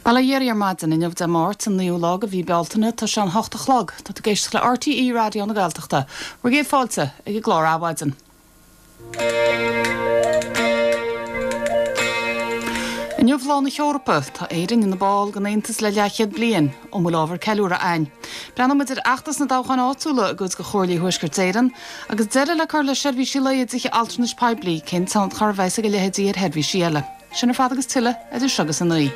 Bail ó Dhia oraibh ar maidin, inniu Dé Máirt, an 9ú lá de mhí Bealtaine, tá sé an hocht a chlog. Tá tú ag éisteacht le RTÉ Raidió na Gaeltachta. Bhur gcéad fáilte ag an gclár Adhmhaidin. Inniu Lá na hEorpa. Tá Éirinn ina ball den Aontas le leathchéad bliain. An bhfuil ábhar ceiliúrtha againn? Breathnóidh muid ar fheachtas na dtoghcháin áitiúla i gcuid de chomhairlí Thuaisceart Éireann, agus deireadh le cur le seirbhísí lae i dtithe altranais poiblí, cén tionchar a bheas ag a leithéidí ar sheirbhísí eile? Sin ar fad agus tuilleadh idir seo agus a 9.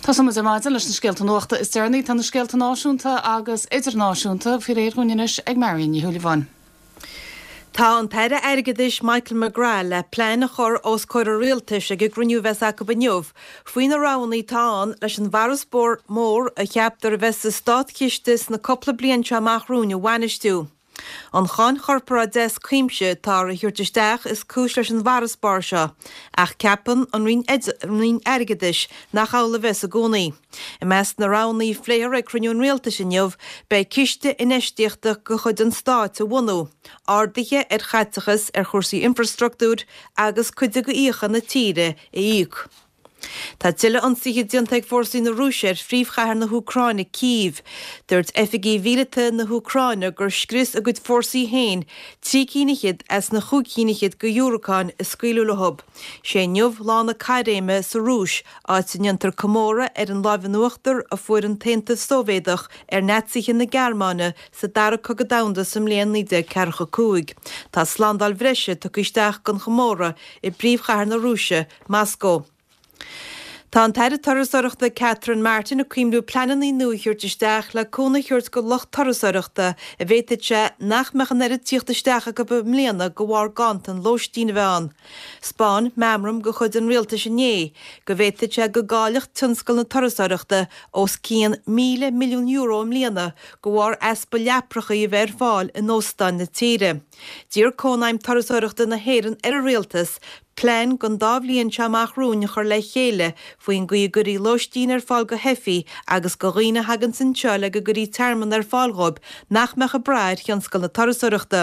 Tosóidh muid ar maidin leis na scéalta nuachta is deireanaí. Tá na scéalta náisiúnta agus idirnáisiúnta faoi réir dhúinn anois ag Marion Ní Shúilleabháin. Tá an tAire Airgeadais Michael McGrath le plean a chur os comhair an Rialtais ag an gcruinniú a bheas acu inniu faoi na roghanna atá ann leis an bhfarasbarr mór a cheaptar a bheas sa státchiste sna cúpla bliain seo amach romhainn a bhainistiú. An cháin chorparáide as cuimse atáthar a thabhairt isteach is cúis leis an bhfarasbarr seo, ach ceapann an Roinn Airgeadais nach amhlaidh a bheas i gcónaí. I measc na roghanna a phléifear ag cruinniú an Rialtais inniu beidh ciste infheistíochta de chuid an stáit a bhunú, arduithe ar chaiteachas ar chúrsaí infreastruchtúir agus cuid de fhiacha na tíre a íoc. Tá tuilleadh ionsaithe déanta ag fórsaí na Rúise ar phríomhchathair na hÚcráine, Cív. Dúirt oifigigh mhíleata na hÚcráine gur scrios a gcuid fórsaí féin trí cinn fhichead as na chúig cinn fhichead de dhiúracáin a scaoileadh leo. Sé inniu lá na caithréime sa Rúis, áit a ndéantar comóradh ar an láimh in uachtar a fuair an tAontas Sóivéadach ar Naitsithe na Gearmáine sa Dara Cogadh Domhanda sa mbliain 1945. Tá slándáil bhreise tugtha isteach don chomóradh i bpríomhchathair na Rúise, Moscó. Tá an tAire Turasóireachta Catherine Martin ag cuimhniú pleananna nua a thabhairt isteach le cúnamh a thabhairt go lucht turasóireachta a bhféadfadh sé nach mbeadh an oiread tíocht isteach acu i mbliana de bharr ganntan lóistín a bheith ann. 'Spáin meamram de chuid an rialtais inné go bhféadfadh sé go gcaillfeadh tionscal na turasóireachta os cionn €1,000 milliún i mbliana de bharr easpa leaprachaí a bheith ar fáil in óstáin na tíre. D'iarr Cónaidhm Turasóireachta na hÉireann ar an rialtas plean don dá bhliain seo amach romhainn a chur le chéile faoin gcaoi a gcuirfí lóistín ar fáil go theifigh agus go dhaoine a thaganns anseo le go gcuirfí tearmann ar fáil dhóibh nach mbeadh ag brath ar thionscal na turasóireachta.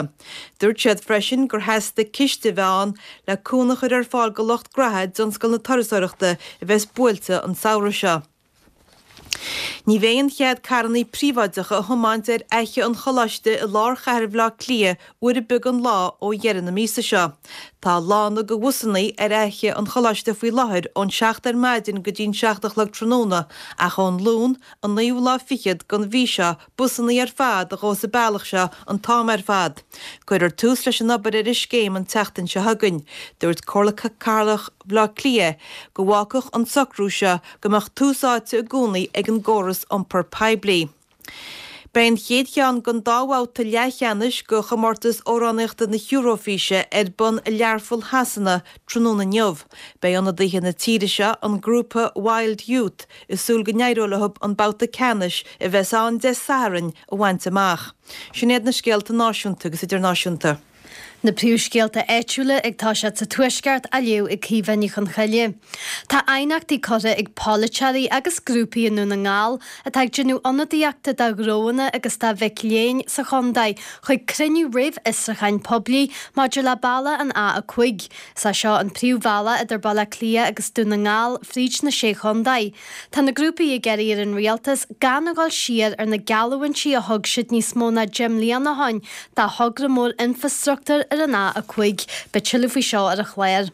Dúirt siad freisin gur theastaigh ciste a bheith ann le cúnamh a chur ar fáil go lucht graithe i dtionscal na turasóireachta a bheas buailte an samhradh seo. Ní bheidh aon chead carrannaí príobháideacha a thiomáint ar Fhaiche an Choláiste i lár chathair Bhaile Átha Cliath uair ar bith den lá ó dheireadh na míosa seo. Tá lána do bhusannaí ar Fhaiche an Choláiste faoi láthair ón 7 ar maidin go dtí'n 7 a chlog tráthnóna ach ón Luan, an naoú lá fichead den mhí seo, busannaí ar fad a ghabhfas an bealach seo an t-am ar fad. Cuirfear tús leis an obair ar an scéim an tseachtain seo chugainn. Dúirt Comhairle Cathrach Bhaile Átha Cliath go bhfágfadh an socrú seo go mbeadh tús áite i gcónaí ag an gcóras iompair poiblí. Beidh an chéad cheann den dá bhabhta leathcheannais de chomórtas amhránaíochta na hEuróifíse ar bun i Learpholl Shasana tráthnóna inniu. Beidh ionadaithe na tíre seo, an grúpa Wild Youth, ag súil go n-éireoidh leo an babhta ceannais, a bheas ann Dé Sathairn, a bhaint amach. Sin iad na scéalta náisiúnta agus idirnáisiúnta. Na príomhscéalta áitiúla ag toiseacht sa Tuaisceart á léamh ag Caoimhe Ní Chonchoille. Tá aighneachtaí curtha ag polaiteoirí agus grúpaí i nDún na nGall atá ag déanamh ionadaíochta do ghnóanna agus do mhic léinn sa chontae chuig cruinniú réamh-fhiosrúcháin poiblí maidir le bealach an A5. Is é seo an príomhbhealach idir Baile Átha Cliath agus Dún na nGall fríd na Sé Chontae. Tá na grúpaí ag iarraidh ar an Rialtas gan a dhul siar ar na geallúintí a thug siad níos mó ná 10 mbliana ó shin do thogra mór infreastruchtúir ar an A5. Beidh tuilleadh faoi seo ar an chlár.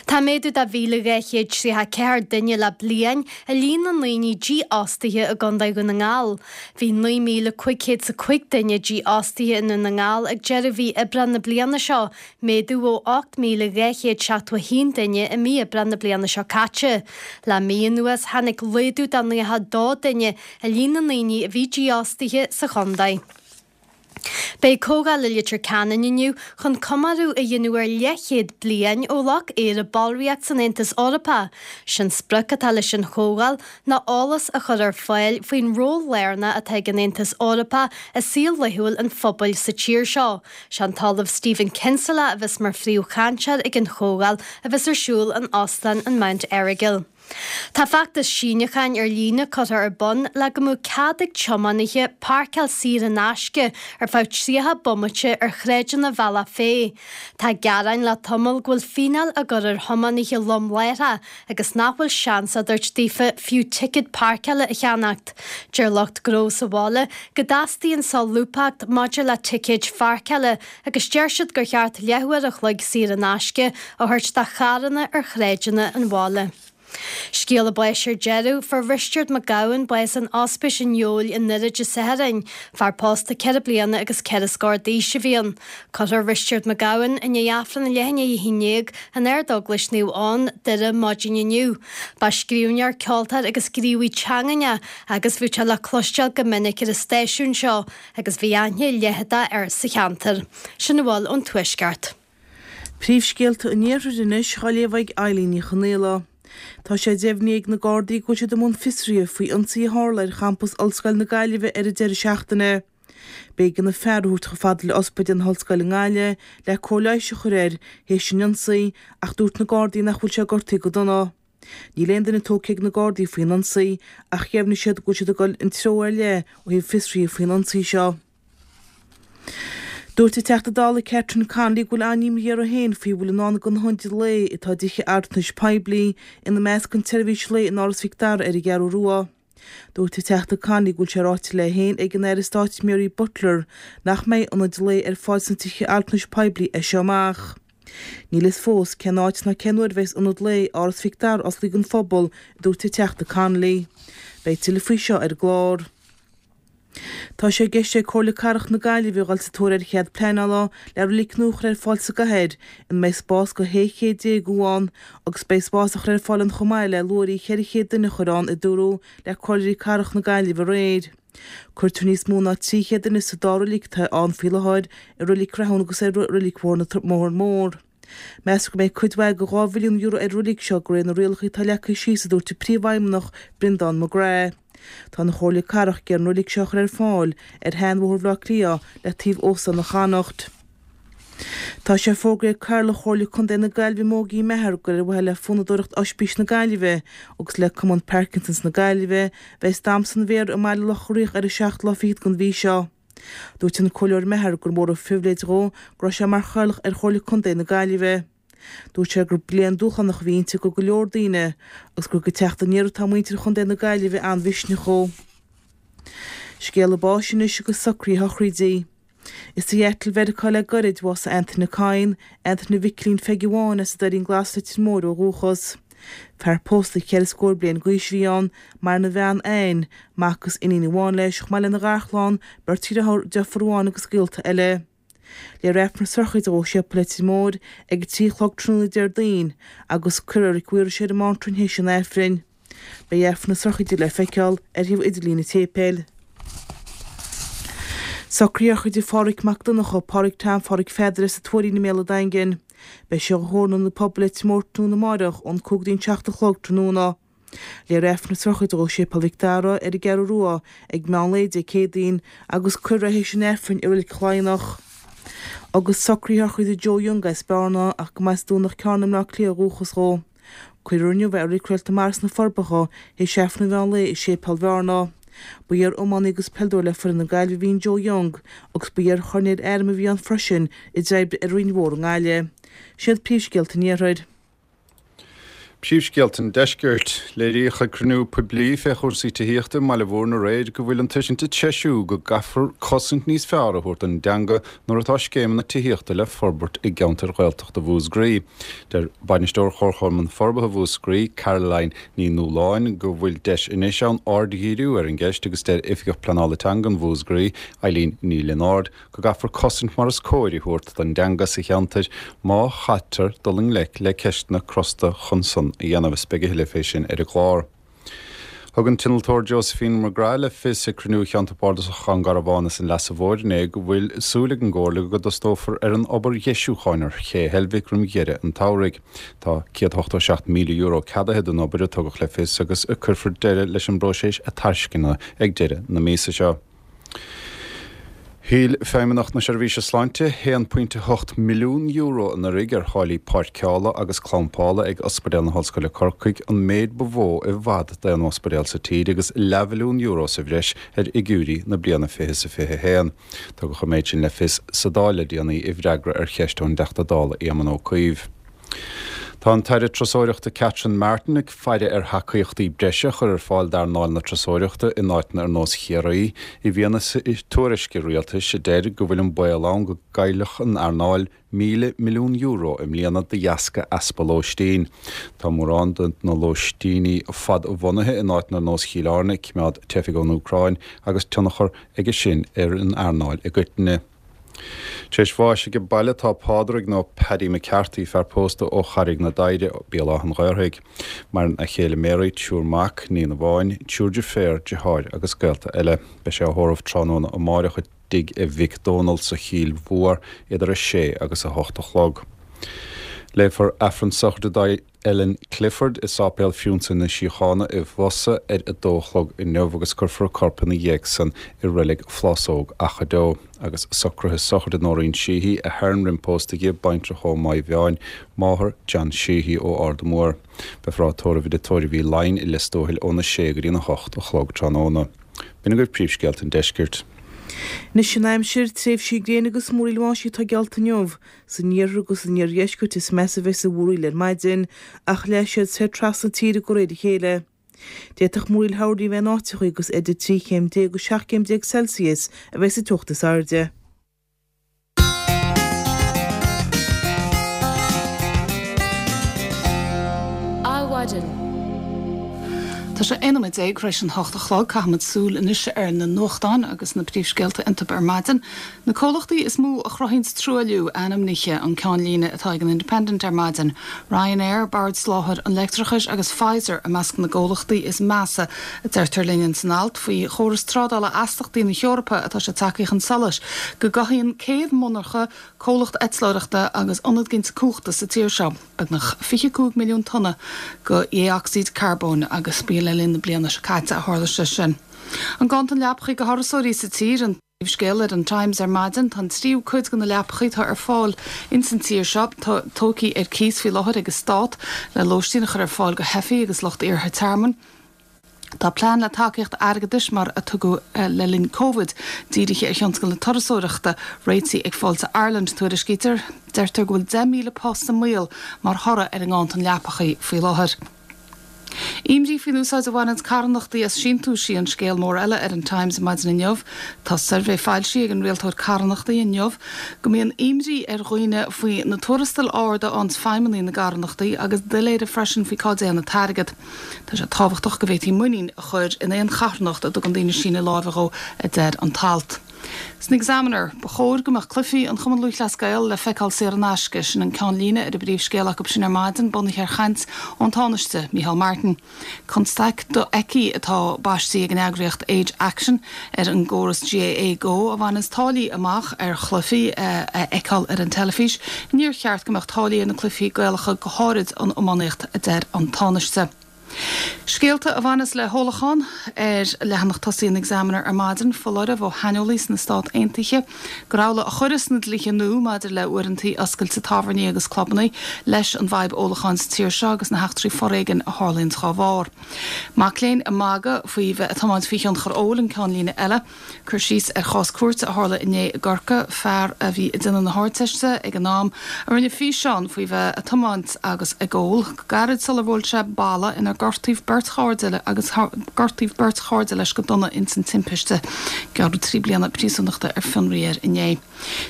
Tá méadú de 1,234 duine le bliain i líon na ndaoine dífhostaithe i gContae Dhún na nGall. Bhí 9,505 duine dífhostaithe i nDún na nGall ag deireadh mhí Aibreán na bliana seo, méadú ó 8,271 duine i mí Aibreán na bliana seo caite. Le mí anuas, tháinig laghdú de 92 duine i líon na ndaoine a bhí dífhostaithe sa chontae. Beidh comhdháil i Leitir Ceanainn inniu chun comóradh a dhéanamh ar leathchéad bliain ó ghlac Éire ballraíocht san Aontas Eorpach. Sé'n sprioc atá leis an chomhdháil ná eolas a chur ar fáil faoin ról lárnach atá ag an Aontas Eorpach i saol laethúil an phobail sa tír seo. Sé an tOllamh Stephen Kinsella a bheas mar phríomhchainteoir ag an chomhdháil a bheas ar siúl in Óstán an Mount Errigal. Tá feachtas síniúcháin ar líne curtha ar bun le go mbeadh cead ag tiománaithe páirceáil saor in aisce ar feadh 30 bomaite ar shráideanna Bhealach Féich. Tá gearáin le tamall go bhfuil fíneáil á gcur ar thiománaithe lom láithreach agus nach bhfuil seans á dtabhairt daofa fiú ticéad páirceála a cheannacht. Deir lucht gnó sa bhaile go dteastaíonn solúbthacht maidir le ticéid pháirceála agus deir siad gur cheart leathuair a chloig saor in aisce a thabhairt do charranna ar shráideanna an bhaile. Scéala báis ar deireadh, Fuair Risteard Mac Gabhann bás in Ospís an Fheabhail i nDoire Dé Sathairn. Fear pósta 4 bliana agus 4 scór d'aois a bhí ann. Cuirfear Risteard Mac Gabhann i ndiaidh Aifreann a leath i ndiaidh a 11 in Ard-Eaglais Naomh Eoin, Doire maidin inniu. Ba scríbhneoir, ceoltóir agus gníomhaí teangan é agus bhíodh sé le cloisteáil go minic ar an stáisiún seo agus bhí aithne leitheadach air sa cheantar. Sin a bhfuil ón Tuaisceart. Príomhscéalta an Iarthair anois á léamh ag Eilín Ní Chonaola. Tá sé deimhnithe ag na Gardaí go bhfuil siad i mbun fiosraithe faoi ionsaí a tharla ar champas Ollscoil na Gaillimhe ar an deireadh seachtaine. B'éigean an fear a thabhairt chomh fada le ospidéal na hOllscoile i nGaillimh le cóir leighis a chur air théis an ionsaí ach dúirt na Gardaí nach bhfuil sé gortaithe go dona. Níl aon duine tógtha ag na Gardaí faoin ionsaí ach dheimhnigh siad go bhfuil siad ag dul in treo ar leith ó thaobh fiosraithe faoin ionsaí seo. Dúirt an Teachta Dála Catherine Connolly go bhfuil an-imní uirthi féin faoi a bhfuil i ndán do na hionaid lae atá i dtithe altranais poiblí, ina measc an tseirbhís lae in Áras Mhic Dara ar an gCeathrú Rua. Dúirt an Teachta Connolly go bhfuil sé ráite léi féin ag an Aire Stáit Mary Butler nach mbeidh ionaid lae ar fáil sna tithe altranais poiblí as seo amach. Níl fhios fós cén áit ná cén uair a bheas ionad lae Áras Mhic Dara oscailte don phobal, a dúirt an Teachta Connolly. Beidh tuilleadh faoi seo ar an gclár. Tá sé i gceist ag Comhairle Cathrach na Gaillimhe dhul sa tóir ar chead pleanála le roilig nua a chur ar fáil sa gcathair ina mbeidh spás do 16 céad ann agus beidh spás á chur ar fáil ann chomh maith le luaithrí 400 duine a chur ann, a dúradh le Comhairleoirí Cathrach na Gaillimhe aréir. Cuirtear níos mó ná 300 duine sa dá roilig atá ann faoi láthair, i Roilig Rathún agus i Roilig Bhóthar Mór. Meastar go mbeidh cuid mhaith de €2 mhilliún ar an roilig seo de réir na rialacha atá leagtha síos, a dúirt an Príomhfheidhmeannach, Breandán McGrath. Tá an Chomhairle Cathrach ag iarraidh an roilig seo a chur ar fáil ar shean-Bhóthar Bhaile Átha Cliath le taobh Óstán an Chonnacht. Tá sé fógraithe ag Cathaoirleach Chomhairle Contae na Gaillimhe Mógí Meagher gur ar mhaithe le fonnadóireacht Oispís na Gaillimhe agus le Cumann Parkinsons na Gaillimhe a bheas Damhsa an Mhéara i mBaile Locha Riach ar an seachtú lá fichead den mhí seo. Dúirt an Comhairleoir Meagher gur mór an phribhléid dhó go raibh sé mar chathaoirleach ar Chomhairle Contae na Gaillimhe. Dúirt sé gur bliain dúshlánach a bhí inti do go leor daoine agus gur ag teacht aniar atá muintir Chontae na Gaillimhe an-mhisneach ó. Scéala báis anois agus socruithe a shochraide. I Seattle Mheiriceá le gairid bhásaigh Antaine Kyne, Antaine Mhicilín Pheige Bháin as an Doirín Glas Leitir Móir ó dhúchas. Fear pósta cheithre scór bliain d'aois a bhí ann, maireann a bhean Anne, mac agus iníon amháin leis, chomh maith lena gharchlann, beirt dheartháir, deirfiúr amháin agus gaolta eile. Léifear Aifreann na sochraide dó i Séipéal Leitir Móir ag a 3 a chlog tráthnóna Déardaoin agus cuirfear i Reilig Mhaorais é ar an Mántrainn théis an Aifrinn. Beidh Aifreann na sochraide le feiceáil ar shuíomh idirlín an tséipéil. Socruithe sochraide Phádhraic Mac Donncha, Pádhraic Tom Phádhraic Pheadair as an Tuairín i mBéal an Daingin. Beidh sé á thórramh in Ionad Pobail Leitir Móir tráthnóna amáireach ón 5 go dtí an 7 a chlog tráthnóna. Léifear Aifreann na sochraide dó i Séipéal Mhic Dara ar an gCeathrú Rua ag meán lae Dé Céadaoin agus cuirfear é théis an Aifrinn i Reilig Chladhnach. Agus socruithe sochraide Joe Young as Bearna ach go mba as Domhnach Cearna i mBleá Cliath ó dhúchas dhó. Cuirfear inniu é i Reilig Réalt na Mara sna Forbacha théis Aifreann an mheán lae i Séipéal Bhearna. Ba iar-iománaí agus peileadóir le foireann na Gaillimhe a bhí in Joe Young agus ba iar-choirnéal airm a bhí ann freisin a d'oibrigh ar Rinn Mhór i nGaillimh. Siad príomhscéalta an Iarthair. Príomhscéalta an Deiscirt. Léiríodh ag cruinniú poiblí fé chúrsaí tithíochta i mBaile Mhúirne aréir go bhfuil an tuiscint ag treisiú go gcaithfear cosaint níos fearr a thabhairt don dteanga nuair atá scéimeanna tithíochta le forbairt i gceantair Ghaeltachta Mhúscraí. Deir Bainisteoir Chomharchumann Forbartha Mhúscraí, Caroline Ní Nualláin, go bhfuil deis anois ann aird a dhíriú ar an gceist agus deir Oifigeach Pleanála Teanga Mhúscraí, Eileen Ní Lionáird, go gcaithfear cosaint mar is cóir a thabhairt don dteanga sa cheantar má chaitear dul i ngleic le ceisteanna crosta chun san a dhéanamh. Is beidh a thuilleadh fé sin ar an gclár. Thug an t-innealtóir Josephine McGrath le fios ag cruinniú Cheantar Bardasach Dhún Garbhán is an Leasa Mhóir inné go bhfuil súil ag an gComhairle go dtosnófar ar an obair dheisiúcháin ar Ché Heilbhic roim dheireadh an tsamhraidh. Tá €187,000 ceadaithe don obair, a tugadh le fios, agus cuirfear deireadh leis an bpróiseas tairisceana ag deireadh na míosa seo. Thuill Feidhmeannacht na Seirbhíse Sláinte €1.8 milliún anuraidh ar tháillí páirceála agus clampála ag Ospidéal na hOllscoile Corcaigh, an méid ba mhó i bhfad d'aon ospidéal sa tír agus leathmhilliún euro sa bhreis ar fhigiúirí na bliana 2021. Tugadh an méid sin le fios sa Dáil le déanaí i bhfreagra ar cheist ón dTeachta Dála Éamon Ó Cuív. Tá an tAire Turasóireachta Catherine Martin ag faire ar thacaíochtaí breise a chur ar fáil d'earnáil na turasóireachta in áiteanna ar nós Chiarraí i bhfianaise tuairisce rialtais a deir go bhfuil an baol ann go gcaillfeadh an earnáil €1,000 milliún i mbliana de dheasca easpa lóistín. Tá mórán de na lóistíní fadbhunaithe in áiteanna ar nós Chill Airne ag coimeád teifigh ón Úcráin agus tionchar aige sin ar an earnáil i gcoitinne. Tar éis bháis age baile tá Pádraig nó Paddy McCarthy, fear pósta ó Charraig na Doighre, Béal Átha'n Ghaorthaidh. Maireann a chéile Mary, triúr mac, níon amháin, triúr deirféar, deartháir agus gaolta eile. Beidh sé á thórramh tráthnóna amáireach i dtigh a mhic Dónal sa Chill Mhór idir 6 agus 8 a chlog. Léifear Aifreann sochraide Ellen Clifford i Sáipéal Phriúnsa na Síochána i bhFosa ar a dó a chlog inniu agus cuirfear a corp ina dhiaidh san i Reilig Phlásóg Achadh Deo. Agus socruithe sochraide Nóirín Sheehy, Ahern roim pósta di, baintreach ó Maigh Mheáin, máthair John Sheehy ó Ard an Mhóir. Beifear á tórramh i dTigh Tórraimh Uí Laighin i Lios Tuathail óna sé go dtí an 8 a chlog tráthnóna. B'in agaibh príomhscéalta an deiscirt. Anois an aimsir, tréimhsí gréine agus múraíl bháistí atá geallta inniu. San iarthar agus san iardheisceart is measa a bheas an mhúraíl ar maidin, ach leáfaidh siad soir trasna na tíre de réir a chéile. D'fhéadfadh múraíl thoirní a bheith in áiteachaí agus idir 13 chéim agus 17 chéim Celsius a bheidh sa teocht is airde. Adhmhaidin. Tá sé 11 nóiméad tar éis an hocht a chlog. Caithfimid súil anois ar na nuachtáin agus na príomhscéalta iontu ar maidin. Na comhlachtaí is mó a chruthaíonns truailliú ainmnithe an ceannlíne atá ag an Independent ar maidin. Ryanair, Bord Soláthair an Leictreachais agus Pfizer i measc na gcomhlachtaí is measa, a deirtear linn ins an alt faoi chóras trádála astachtaí na hEorpa atá sé tagtha chun solais go gcothaíonn 100 monarcha, comhlacht eitleoireachta agus ionad ginte cumhachta sa tír seo beagnach 25 milliún tonna de dhé-ocsaíd carbóin agus ba le linn na bliana seo caite a tharla sé sin. An ganntan leapachaí do thurasóirí sa tír, an. Scéal ar an Times ar maidin, tá an tríú cuid de na leapachaí atá ar fáil ins an tír seo tógthaí ar cíos faoi láthair ag an Stát le lóistín a chur ar fáil do theifigh agus lucht iarrtha tearmainn. Tá plean le tacaíocht airgeadais mar a tugadh le linn Covid dírithe ar thionscal na turasóireachta réitithe ag Fáilte Ireland, tuairiscítear. Deirtear go bhfuil 10,000 post i mbaol mar thoradh ar an nganntan leapachaí faoi láthair. Imní faoin úsáid a bhaineanns carthanachtaí as síntiúisí an scéal mór eile ar an Times maidin inniu. Tá suirbhé foilsithe ag an Rialtóir Carthanachtaí inniu go mbíonn imní ar dhaoine faoi na tuarastail arda a fhaigheanns feidhmeannaigh na gcarthanachtaí agus doiléire freisin faoi cá dtéann an t-airgead. Tá sé tábhachtach go bhféadfaí muinín a chur in aon charthanacht a dtugann daoine síneadh láimhe dhó, a deir an t-alt. San Examiner, ba chóir go mbeadh cluichí an Chumann Lúthchleas Gael le feiceáil saor in aisce, sin an ceannlíne ar an bpríomhscéal acu sin ar maidin, bunaithe ar chaint ón Tánaiste, Micheál Martin. Constaic dofheicthe atá baistí ag an eagraíocht Age Action ar an gcóras GAA Go a bhaineanns táillí amach ar chluichí a fheiceáil ar an teilifís. Níor cheart go mbeadh táillí ar na cluichí Gaelacha, go háirid an iománaíocht, a deir an Tánaiste. Scéalta a bhaineas le hólachán ar leathanach tosaigh an Examiner ar maidin, foláireamh ó shaineolaí sna Stát Aontaithe gur amhlaidh a chuireas na dlíthe nua maidir le uaireanta oscailte tábhairní agus clubanna leis an bhfadhb ólacháin sa tír seo agus na heachtraí foréigin a tharlaíonn dá bharr. Mac léinn ag magadh faoi bheith ag tiomáint faoi thionchar óil an ceannlíne eile. Cur síos ar chás cúirte a tharla inné i gCorcaigh, fear a bhí ag déanamh na hArdteiste ag an am, a rinne físeán faoi bheith ag tiomáint agus ag ól, go gairid sular bhuail sé balla inar gortaíodh beirt chairde agus gortaíodh beirt chairde leis go dona ins an timpiste. Gearradh 3 bliana príosúnachta ar fionraí air inné.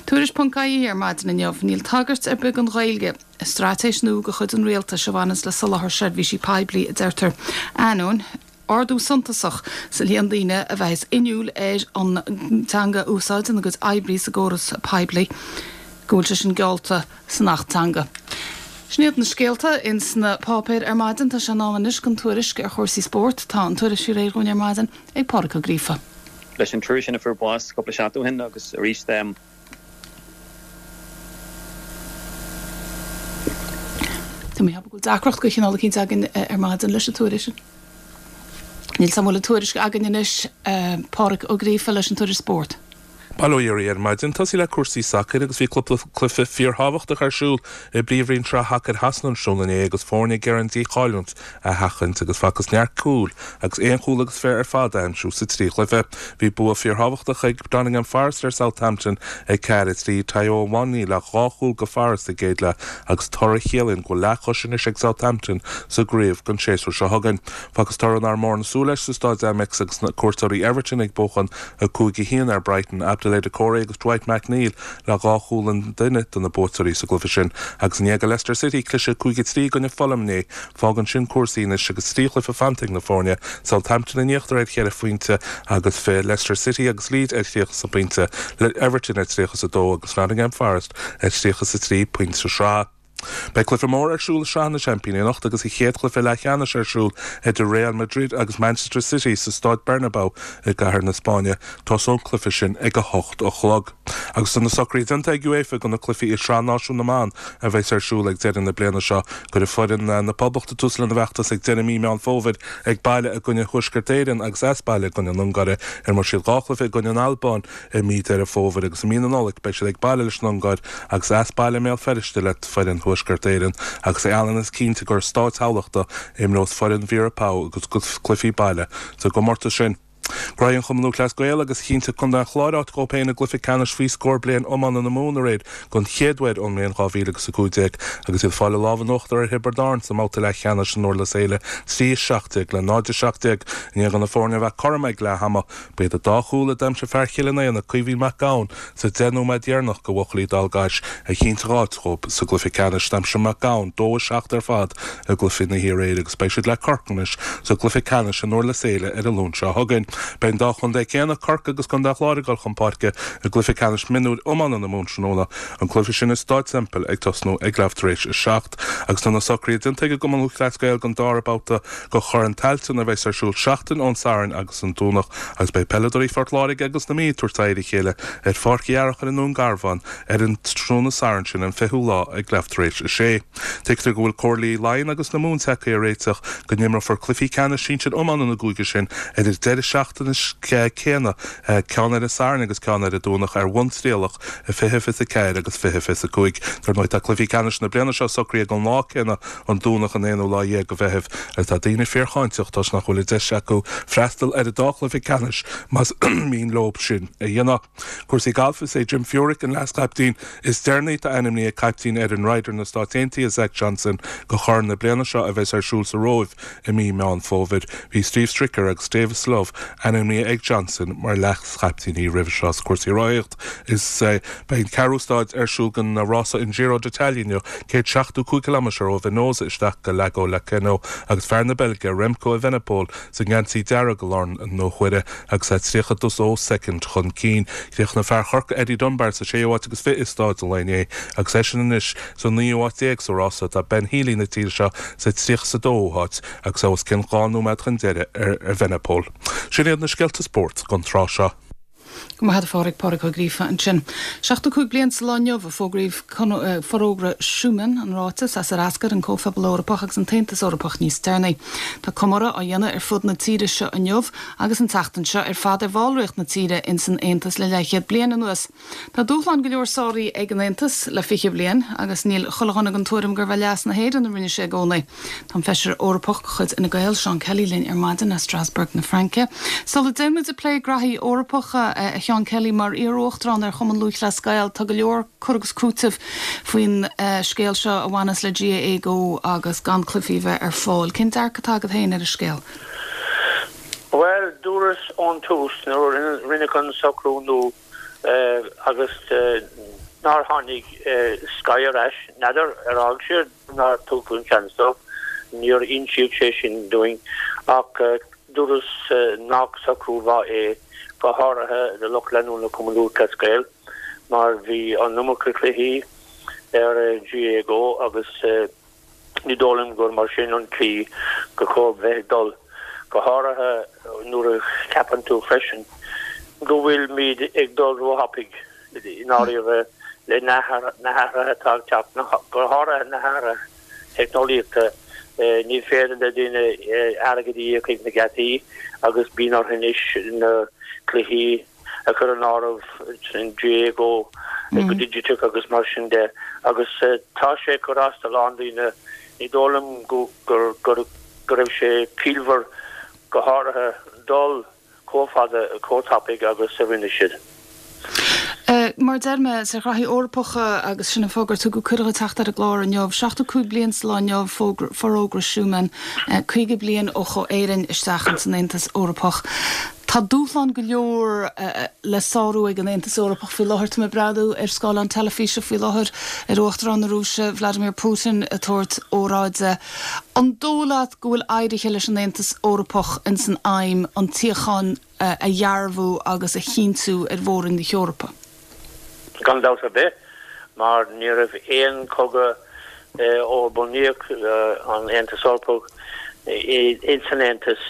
Tuairisc.ie ar maidin inniu, níl tagairt ar bith don Ghaeilge i straitéis nua de chuid an Rialtais a bhaineanns le soláthar seirbhísí poiblí, a deirtear. Ainneoin. ardú suntasach sa líon daoine a bheas inniúil ar an teanga a úsáid ina gcuid oibre sa gcóras poiblí, go bhfuil sé sin geallta san Acht Teanga. Sin iad na scéalta ins na páipéir ar maidin. Tá sé in am anois don tuairisc ar chúrsaí spóirt. Tá an tuairisc faoi réir dhúinn ar maidin ag Pádraig Ó Gríofa. Leis an triúr sin a fuair bás cúpla seachtain ó shin agus arís. Tá mé ag ceapadh go bhfuil deacracht de chineál eicínt againn ar maidin leis an tuairisc. Níl 's a'm an bhfuil an tuairisc againn anois, Pádraig Ó Gríofa leis an tuairisc spóirt. Bail ó Dhia oraibh ar maidin. Tosaí le cúrsaí sacair agus bhí cúpla cluiche fíorthábhachtach ar siúl i bPríomhroinn Sraith Shacair Shasana tráthnóna inné agus foirne ag iarraidh an díchailliúint a sheachaint agus facthas neart cúil agus aon chúl agus fiche ar fad a aimsiú sa trí chluiche. Bhí bua fíorthábhachtach ag Nottingham Forest ar Southampton ag 4-3, Taiwo Awoniyi le dhá chúl go Forest sa gcéad leath agus toradh a chiallaíonn go bhfuil leathchois anois ag Southampton sa gcraobh don séasúr seo chugainn. Facthas toradh nár mhór na súil leis sa Stáid Amex agus na cuairteoirí Everton ag buachan 5-1 ar Brighton, Abdoulaye Doucouré agus Dwight McNeil le dhá chúl an duine do na buaiteoirí sa gcluiche sin. Agus i ndiaidh do Leicester City cliseadh 5-3 i gcoinne Fulham inné, fágann sin cúrsaí anois agus trí chluiche fanta ag na foirne, Southampton in íochtar ar cheithre phointe agus fiche, Leicester City agus Leeds ar thríocha pointe, Everton ar 32 agus Nottingham Forest ar 33 pointe sa sraith. Beidh cluiche mór ar siúl i Sraith na Seaimpíní anocht agus an chéad chluiche leathcheannais ar siúl idir Real Madrid agus Manchester City sa Stáid Bernabeu i gcathair na Spáinne. Tosóidh an cluiche sin ag 8 a chlog. Agus tá na socruithe déanta ag UEFA do na cluichí i Sraith Náisiún na mBan a bheas ar siúl ag deireadh na bliana seo. Cuirfidh foireann na Poblachta tús lena bhfeachtas ag deireadh mí Meán Fómhair ag baile i gcoinne Thuaisceart Éireann agus as baile i gcoinne na Ungáire. Imreoidh siad dhá chluiche i gcoinne na Albáin I mí Deireadh Fómhair agus i mí na Nollag beidh siad ag baile leis an Ungáir agus as baile i mBéal Feirste le foireann Thuaisceart Éireann agus é ionann is cinnte gur i Stáid Thamhlachta a imreos foireann Vera Pauw a gcuid cluichí baile sa gcomórtas sin. Gnóthaigh an Chumann Lúthchleas Gael agus chinntigh Contae an Chláir áit dhóibh féin i gcluiche ceannais faoi scór bliain iomána na Mumhan aréir don chéad uair ón mbliain 2015 agus iad ag fáil a lámh in uachtar ar Thiobraid Árann sa mbabhta leathcheannais in Durlas Éile 3-17 le 0-17 i ndiaidh do na foirne a bheith cothrom ag leath ama. Ba iad an dá chúl a d'aimsigh fear Chill an Éanaigh, Caoimhín Mac Gabhann, sa 10 nóiméad dheireanach do bhuachaillí Dhál gCais a chinntigh áit dhóibh sa gcluiche ceannais. D'aimsigh Mac Gabhann 2-7 ar fad i gcluiche na hiarréire agus beidh siad le Corcaigh anois sa gcluiche ceannais i nDurlas Éile ar an Luan seo chugainn. Beidh an dá chontae céanna, Corcaigh agus Contae an Chláir ag dul chun páirce i gcluiche ceannais mionúir iomána na Mumhan tráthnóna, an cluiche sin i Stáid Semple ag tosnú ag leath tar éis a seacht. Agus tá na socruithe déanta ag an gCumann Lúthchleas Gael don dara babhta de Chorn Tailteann a bheas ar siúl seachtain ón Satharn agus an Domhnach agus beidh peileadóirí Phort Láirge agus na Mí ag tabhairt aghaidh ar a chéile ar Pháirc Uí Fhearchair i nDún Garbhán ar an tráthnóna Sathairn sin an 20ú lá ag leath tar éis a sé. Tuigtear go bhfuil Comhairlí Laighean agus na Mumhan tagtha ar réiteach go n-imreofar cluichí ceannais sinsir iomána na gcúige sin ar an deireadh seachtaine céanna, ceann ar an Satharn agus ceann ar an Domhnach ar bhonn trialach. 20, 24 agus 20, 25. Dar ndóigh tá cluichí ceannais na bliana seo socraithe don lá céanna, an Domhnach an aonú lá dhéag de Mheitheamh, agus tá daoine fíorcháinteach toisc nach bhfuil an deis acu freastal ar an dá chluiche ceannais más mian leo sin a dhéanamh. Cúrsaí gailf Is é Jim Furyk an leaschaiptín is deireanaí atá ainmnithe ag caiptín fhoireann Ryder na Stát Aontaithe, Zach Johnson, do Chorn na bliana seo a bheas ar siúl sa Róimh i mí Meán Fómhair. Bhí Steve Stricker agus Davis Love ainmnithe ag Johnson mar leaschaiptíní roimhe seo. Is cúrsaí rothaíocht Is beidh an ceathrú stáid ar siúl den rása an Giro d'Italia inniu, 175 ciliméadar ó Venosa isteach go Lago Laceno agus fear na Beilge, Remco Evenepoel, sa ngeansaí dearg i lár na huaire agus é 32 soicind chun cinn. Chríochnaigh fear Chorcaí Eddie Dunbar sa séú háit agus fiche i stáid an lae inné agus eisean anois sa naoú háit déag sa rása. Tá Ben Healy na tíre seo sa 32ú háit agus é os cionn dhá nóiméad chun deiridh ar Evenepoel. Sin iad na scéalta spóirt don tráth seo. Go maith agat a Phádraig, Pádraig Ó Gríofa ansin. 75 bliain sa lá inniu a fógraíodh Forógra Schuman, an ráiteas as ar eascair an Comhphobal Eorpach agus an tAontas Eorpach níos deireanaí. Tá comóradh á dhéanamh ar fud na tíre seo inniu agus an tseachtain seo ar fad ar bhallraíocht na tíre ins an Aontas le leathchéad bliain anuas. Tá dúshláin go leor sáraithe ag an Aontas le 20 bliain agus níl chuile dhuine den tuairim gurbh é leas na hÉireann a rinne sé i gcónaí. Tá an Feisire Eorpach de chuid Fhine Gael, Seán Kelly linn ar maidin as Strasbourg na Fraince. Sula dtéann muid ag plé graithí Eorpacha, a Sheán Kelly, mar iar-uachtarán ar Chumann Lúthchleas Gael, tá go leor cur agus cúiteamh faoin scéal seo a bhaineas le GAA Go agus gan cluichí a bheith ar fáil. Cén dearcadh atá agat féin ar an scéal? Bhuel, dúras ón tús nuair a rinneadh an socrú nua agus nár tháinig Sky ar ais, n'fheadar ar fhág siad nár tugadh an seans dóibh, níor insíodh sé sin dúinn, ach dúras nach socrú mhaith é, go háirithe do lucht leanúna Chumann Lúthchleas Gael, mar bhí an iomarca cluichí ar GAA Go agus ní dóigh liom gur mar sin an tslí gur chóir bheith ag dul, go háirithe nuair a cheapann tú freisin go bhfuilimid ag dul róthapaidh i ndáiríre le na hathruithe atá ag teacht, go háirithe na hathruithe teicneolaíochta. Ní féidir le daoine airgead a íoc ag na geataí agus bíonn orthu anois na cluichí. a chur in áireamh, an GAA go go digiteach agus mar sin de agus tá sé ag cur as do a lán daoine. Ní dóigh liom go go raibh sé ciallmhar go háirithe dul chomh fada chomh tapaidh agus a rinne siad. Mar a deir mé, ar ghraithí Eorpacha agus sin an fáth gur tugadh cuireadh dhuit teacht ar an gclár inniu. 75 bliain sa lá inniu Forógra Schuman, 50 bliain ó chuaigh Éirinn isteach ins an Aontas Eorpach. Tá dúshlán go leor le sárú ag an Aontas Eorpach faoi láthair. Tá mé ag breathnú ar scáileán teilifíse faoi láthair ar Uachtarán na Rúise, Vladimir Putin, ag tabhairt óráide. An dóigh leat go bhfuil éirithe leis an Aontas Eorpach ins an aidhm an tsíocháin a dhearbhú agus a chinntiú ar mhór-roinn na hEorpa? Gan dabht ar bith, mar ní raibh aon chogadh ó bunaíodh an Aontas Eorpach ins an Aontas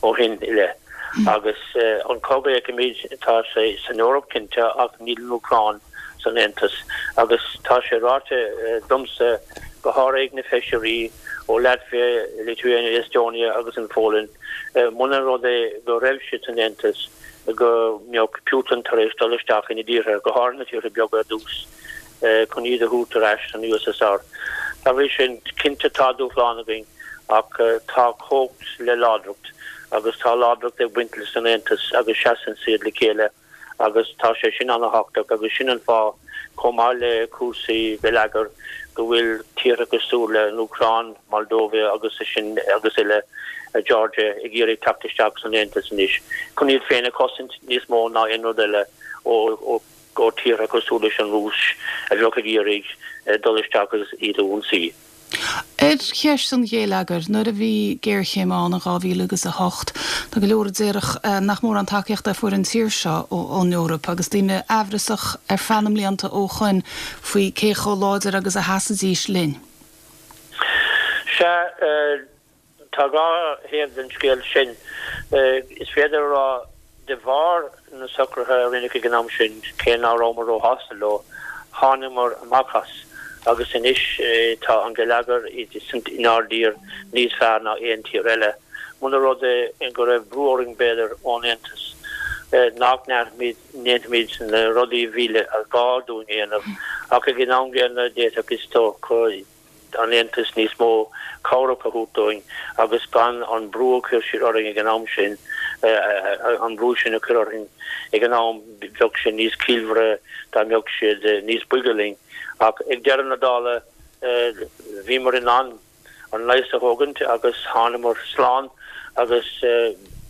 ó shin i leith. Agus an cogadh a fheicimid, tá sé san Eoraip cinnte ach níl an Úcráin san Aontas. Agus tá sé ráite domsa, go háirithe ag na feisirí ó Latvia, Lithuania, Estonia agus an Pholainn, muna rud é go raibh siad san Aontas, go mbeadh Putin tar éis dul isteach ina dtíortha, go háirithe na tíortha beaga ar dtús, chun iad a thabhairt ar ais san USSR. Dá bhrí sin, cinnte tá dúshlán againn ach tá cumhacht le láidreacht agus tá láidreacht ag baint leis an Aontas agus seasann siad le chéile agus tá sé sin an-thábhachtach agus sin an fáth, chomh maith le cúrsaí geilleagair, go bhfuil tíortha cosúil le an Úcráin, Moldova agus sin agus eile, Georgia, ag iarraidh teacht isteach san Aontas anois chun iad féin a chosaint níos mó ná aon rud eile ó ó tíortha cosúil leis an Rúis a bheadh ag iarraidh dul isteach agus iad a ionsaí. Ar cheist an ghéilleagair, nuair a bhí géarchéim ann in 2000 agus 8, tá go leor a déarfadh nach mórán tacaíochta a fuair an tír seo ón Eoraip agus daoine aimhreasach ar feadh na mblianta ó shoin faoi cé chomh láidir agus a sheasfaidís linn. Sea, Tá dhá thaobh den scéal sin. Is féidir a rá, de bharr na socruithe a rinneadh ag an am sin, cé ná rabhamar róshásta leo, thángamar amach as agus anois tá an geilleagar inár dtír níos fearr ná aon tír eile. Muna rud é go raibh brú orainn, b'fhéidir, ón Aontas nach ndéanfaimid na rudaí a bhí le gá dúinn a dhéanamh, ach ag an am gcéanna d'fhéadfadh, is dócha, an Aontas níos mó cabhrach a thabhairt dúinn agus gan an brú a chuir siad orainn ag an am sin, an brú sin a chur orainn ag an am, bheadh sé níos ciallmhaire dá mbeadh siad níos boige linn. Ach ag deireadh na dála bhíomar in ann an leigheas a thógaint agus thánamar slán agus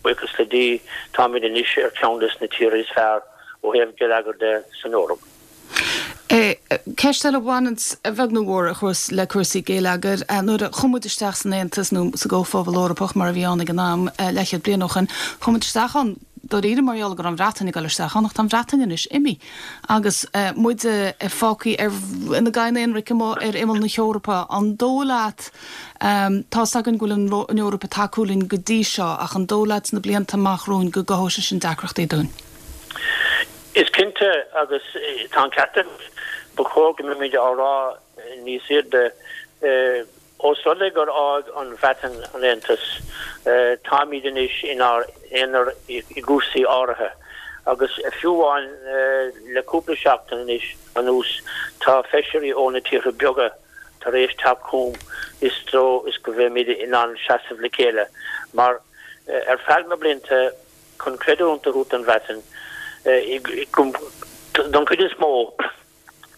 buíochas le Dia táimid anois ar cheann des na tíortha is fearr ó thaobh geilleagair de san Eoraip. Ceist eile a bhaineanns, a bheag nó a mhór, le cúrsaí geilleagair. Nuair a chuaigh muid isteach san Aontas, nó sa gComhphobal Eorpach mar a bhí ann ag an am, leathchéad bliain ó shoin, chuaigh muid isteach ann dáiríre mar gheall go raibh an Bhreatain ag dul isteach ann, ach tá an Bhreatain anois imithe agus muide fágtha ar, ina gcadhain aonraic amuigh ar imeall na hEorpa. An dóigh leat, tá's againn go bhfuil an Eoraip ag tacú linn go dtí seo, ach an dóigh leat sna blianta amach romhainn go gcothóidh sé sin deacrachtaí dúinn? Is cinnte, agus tá an ceart agat, ba chóir go mbeimid á rá níos airde, ós rud é gur fhág an Bhreatain an Aontas, táimid anois inár n-aonar i gcúrsaí áirithe. Agus fiú amháin le cúpla seachtain anois anuas, tá feisirí ó na tíortha beaga tar éis teacht chugam i dtreo is go mbeimid in ann seasamh le chéile, mar ar feadh na blianta, chun creidiúint a thabhairt don Bhreatain, don chuid is mó,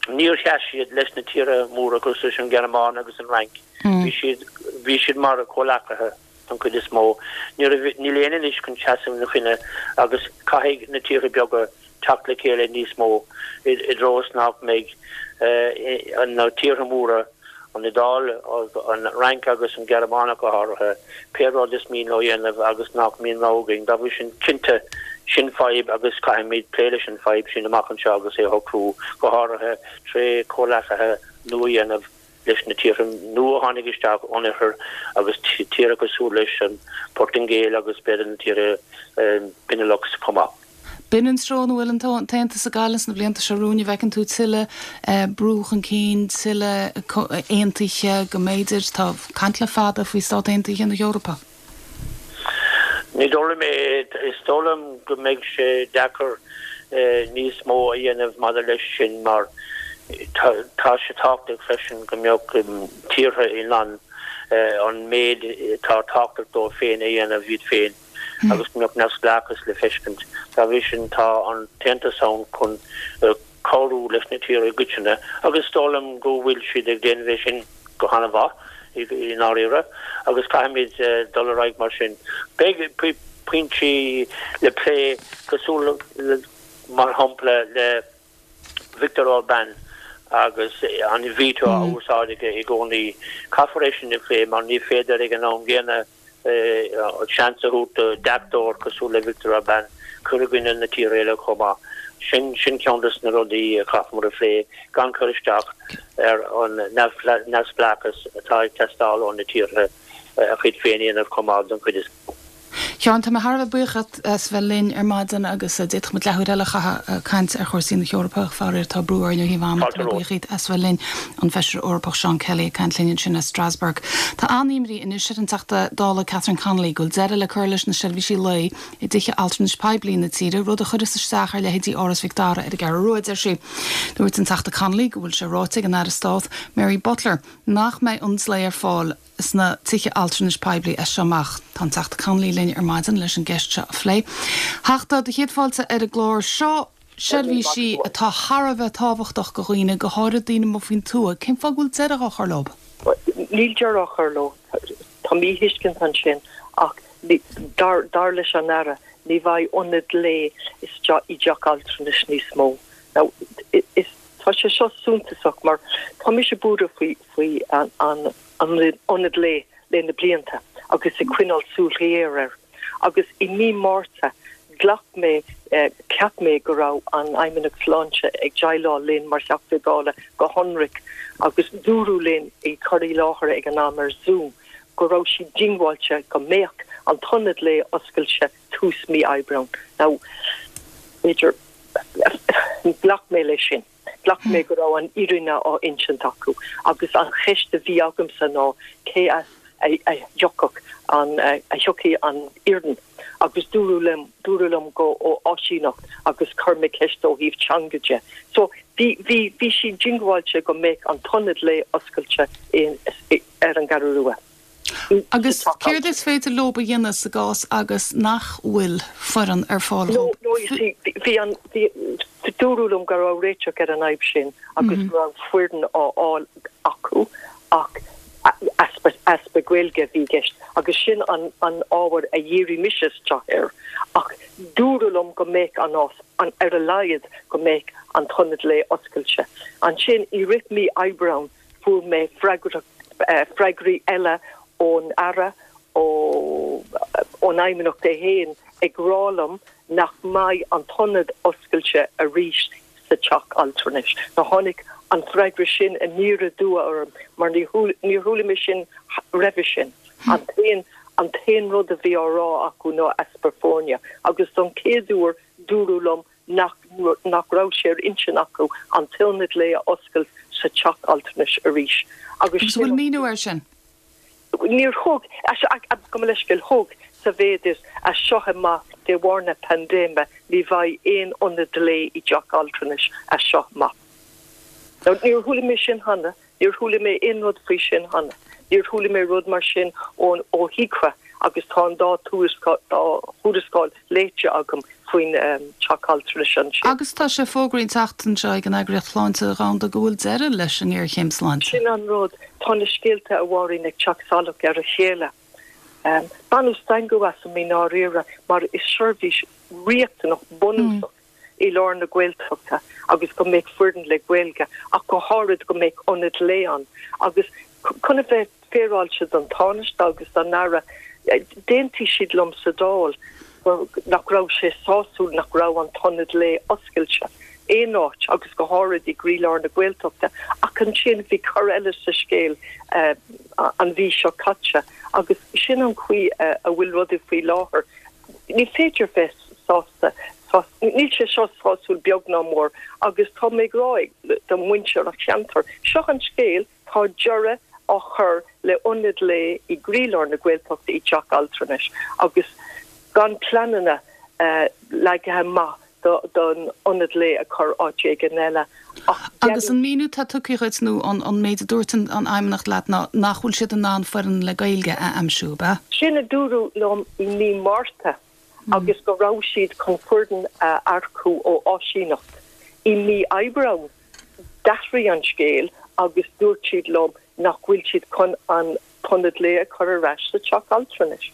níor sheas siad leis na tíortha móra cosúil leis an Ghearmáin agus an Fhrainc. Bhí siad, bhí siad mar chomhleacaithe don chuid is mó. Ní raibh, níl éinne anois chun seasamh ina choinne agus caithfidh na tíortha beaga teacht le chéile níos mó i dtreo is nach mbeidh na tíortha móra, an Iodáil, an Fhrainc agus an Ghearmáin ach go háirithe, pé rud is mian leo a dhéanamh agus nach mbíonn rogha againn. Dá bhrí sin, cinnte, sin fadhb agus caithfimid plé leis an fadhb sin amach anseo agus é a shocrú, go háirithe tré chomhleacaithe nua a dhéanamh leis na tíortha nua a tháinig isteach ón oirthear agus tíortha cosúil leis an Portaingéil agus b'fhéidir na tíortha Benelux chomh maith. B'in an treo ina bhfuil an tAontas ag gabháil ins na blianta seo romhainn, an bhfeiceann tú tuilleadh brú chun cinn, tuilleadh aontaithe go mb'fhéidir, tá caint le fada faoi Stát Aontaithe na hEorpa. Ní dóigh liom é. Is dóigh liom go mbeidh sé deacair. níos mó a dhéanamh maidir leis sin mar tá sé tábhachtach freisin go mbeadh tíortha in ann an méid atá tábhachtach dóibh féin a dhéanamh iad féin agus go mbeadh neamhspleáchas le feiscint. Dá bhrí sin tá an tAontas ann chun cabhrú leis na tíortha i gcoitinne agus is dóigh liom go bhfuil siad ag déanamh é sin go han-mhaith i ndáiríre agus caithfimid dul ar aghaidh mar sin. Beidh pointí le plé cosúil mar shampla le Viktor Orbán agus an veto á úsáid aige i gcónaí. Caithfear é sin a phlé mar ní féidir ag an am gcéanna seans a thabhairt do deachtóir cosúil le Viktor Orbán cur i gcoinne na tíortha eile chomh maith. Sin sin ceann des na rudaí a chaithfear a phlé gan cur isteach ar an neamhspleáchas atá ag teastáil ó na tíortha a chuid féin a dhéanamh chomh maith don chuid is mó. Sheáin, tá mé thar a bheith buíoch díot as bheith linn ar maidin agus d'fhéadfadh muid leathuair eile a chaitheamh ag caint ar chúrsaí na hEorpa ach faraor tá brú orainn ó thaobh ama. Tá mé buíoch díot as bheith linn. An Feisire Eorpach Seán Kelly ag caint linn ansin as Strasbourg. Tá an-imní anois ar an Teachta Dála Catherine Connolly go bhfuil deireadh le cur leis na seirbhísí lae i dtithe altranais poiblí na tíre, rud a chuirfeas isteach ar leithéidí Áras Mhic Dara ar an gCeathrú Rua, deir sí. Dúirt an Teachta Connolly go bhfuil sé ráite ag an Aire Stáit Mary Butler nach mbeidh ionaid lae ar fáil sna tithe altranais poiblí as seo amach. Tá an Teachta Connolly linn ar maidin leis an gceist seo a phlé. A Theachta, do chéad fáilte ar an gclár seo. Seirbhísí atá thar a bheith tábhachtach go dhaoine, go háirid daoine amuigh faoin tuath. Cén fáth go bhfuil deireadh á chur leo? Níl deireadh á chur leo. Tá míthuiscint ansin ach dar leis an Aire ní bheidh ionad lae isteach i dteach altranais níos mó. Now, is, tá sé seo suntasach mar tá mise buartha faoi, faoi an, an ionad lae le na blianta agus ag coinneáil súil ghéar air. Agus i mí Márta ghlac mé, cheap mé go raibh an Fheidhmeannacht Sláinte ag déileáil linn mar Theachtaí Dála go hionraic agus dúradh linn i cur i láthair ag an am ar Zoom go raibh siad diongbháilte go mbeadh an t-ionad lae oscailte tús mí Aibreáin. Now, b'fhéidir, ghlac mé leis sin. Ghlac mé go raibh an fhírinne á insint acu agus an cheist a bhí agamsa ná cé as a thiocfadh an, a thiocfaidh an fhoireann agus dúradh liom, dúradh liom go ó áisíneacht agus chuir mé ceist ó thaobh teanga de. So bhí, bhí, bhí siad diongbháilte go mbeadh an t-ionad lae oscailte in, ar an gCeathrú Rua. Agus céard is féidir leo a dhéanamh sa gcás agus nach bhfuil foireann ar fáil No, no, you see, bhí an, bhí, dúradh liom go raibh réiteach ar an fhadhb sin agus go raibh foireann á fháil acu ach easpa, easpa Gaeilge a bhí i gceist agus sin an, an ábhar a dhírigh mise isteach air ach dúradh liom go mbeadh an, an, ar a laghad go mbeadh an t-ionad lae oscailte. Ansin i rith mí Aibreáin Fuair mé freagraí eile ón Aire, ón Fheidhmeannacht é féin, ag rá liom nach mbeidh an t-ionad oscailte arís sa teach altranais. Now tháinig an freagra sin aniar aduaidh orm mar níor chuala mé sin roimhe sin. An t-aon an t-aon rud a bhí á rá acu ná easpa foirne agus don chéad uair dúradh liom nach nach raibh sé ar intinn acu an t-ionad lae a oscailt sa teach altranais arís agus Agus an bhfuil míniú air sin? Níor thug, gabh mo leithscéal, thug, sa mhéid is, as seo amach, de bharr na paindéime, ní bheidh aon ionad lae i dteach altranais as seo amach. Now, níor chuala mé sin cheana. Níor chuala mé aon rud faoi sin cheana. Níor chuala mé rud mar sin ón ó HIQA agus tá an dá thuarascáil léite agam faoin teach altranais ansin. Agus tá sé fógraithe an tseachtain seo ag an Eagraíocht Shláinte Dhomhanda go bhfuil deireadh leis an ngéarchéim sláinte. Sin an rud. Tá na scéalta, a Mháirín, ag teacht salach ar a chéile. Baineadh stangadh asam i ndáiríre mar is seirbhís riachtanach bunúsach i lár na Gaeltachta agus go mbeadh foireann le Gaeilge ach go háirid go mbeadh ionad lae ann agus chun a bheith féaráilte don Tánaiste agus don Aire d'aontaigh siad liom sa Dáil nach raibh sé sásúil nach raibh an t-ionad lae oscailte aon áit agus go háirid i gcroílár na Gaeltachta ach ansin bhí cor eile sa scéal an mhí seo caite agus sin an chaoi a bhfuil rudaí faoi láthair. Ní féidir bheith sásta, níl sé seo sásúil beag ná mór agus tá mé ag rá do mhuintir an cheantair, seo an scéal, tá deireadh á chur le ionad lae i gcroílár na Gaeltachta i dteach altranais agus gan pleananna leagtha amach. Don ionad lae a chur áit éigin eile ach. Agus an míniú atá tugtha dhuit nó an méid a dúirt an Fheidhmeannacht leat ná nach bhfuil siad in ann foireann le Gaeilge a aimsiú, ab ea? Sin a dúradh liom i mí Márta agus go raibh siad chun foireann a earcú ó áisíneacht. I mí Aibreáin d'athraigh an scéal agus dúirt siad liom nach bhfuil siad chun an t-ionad lae a chur ar ais sa teach altranais.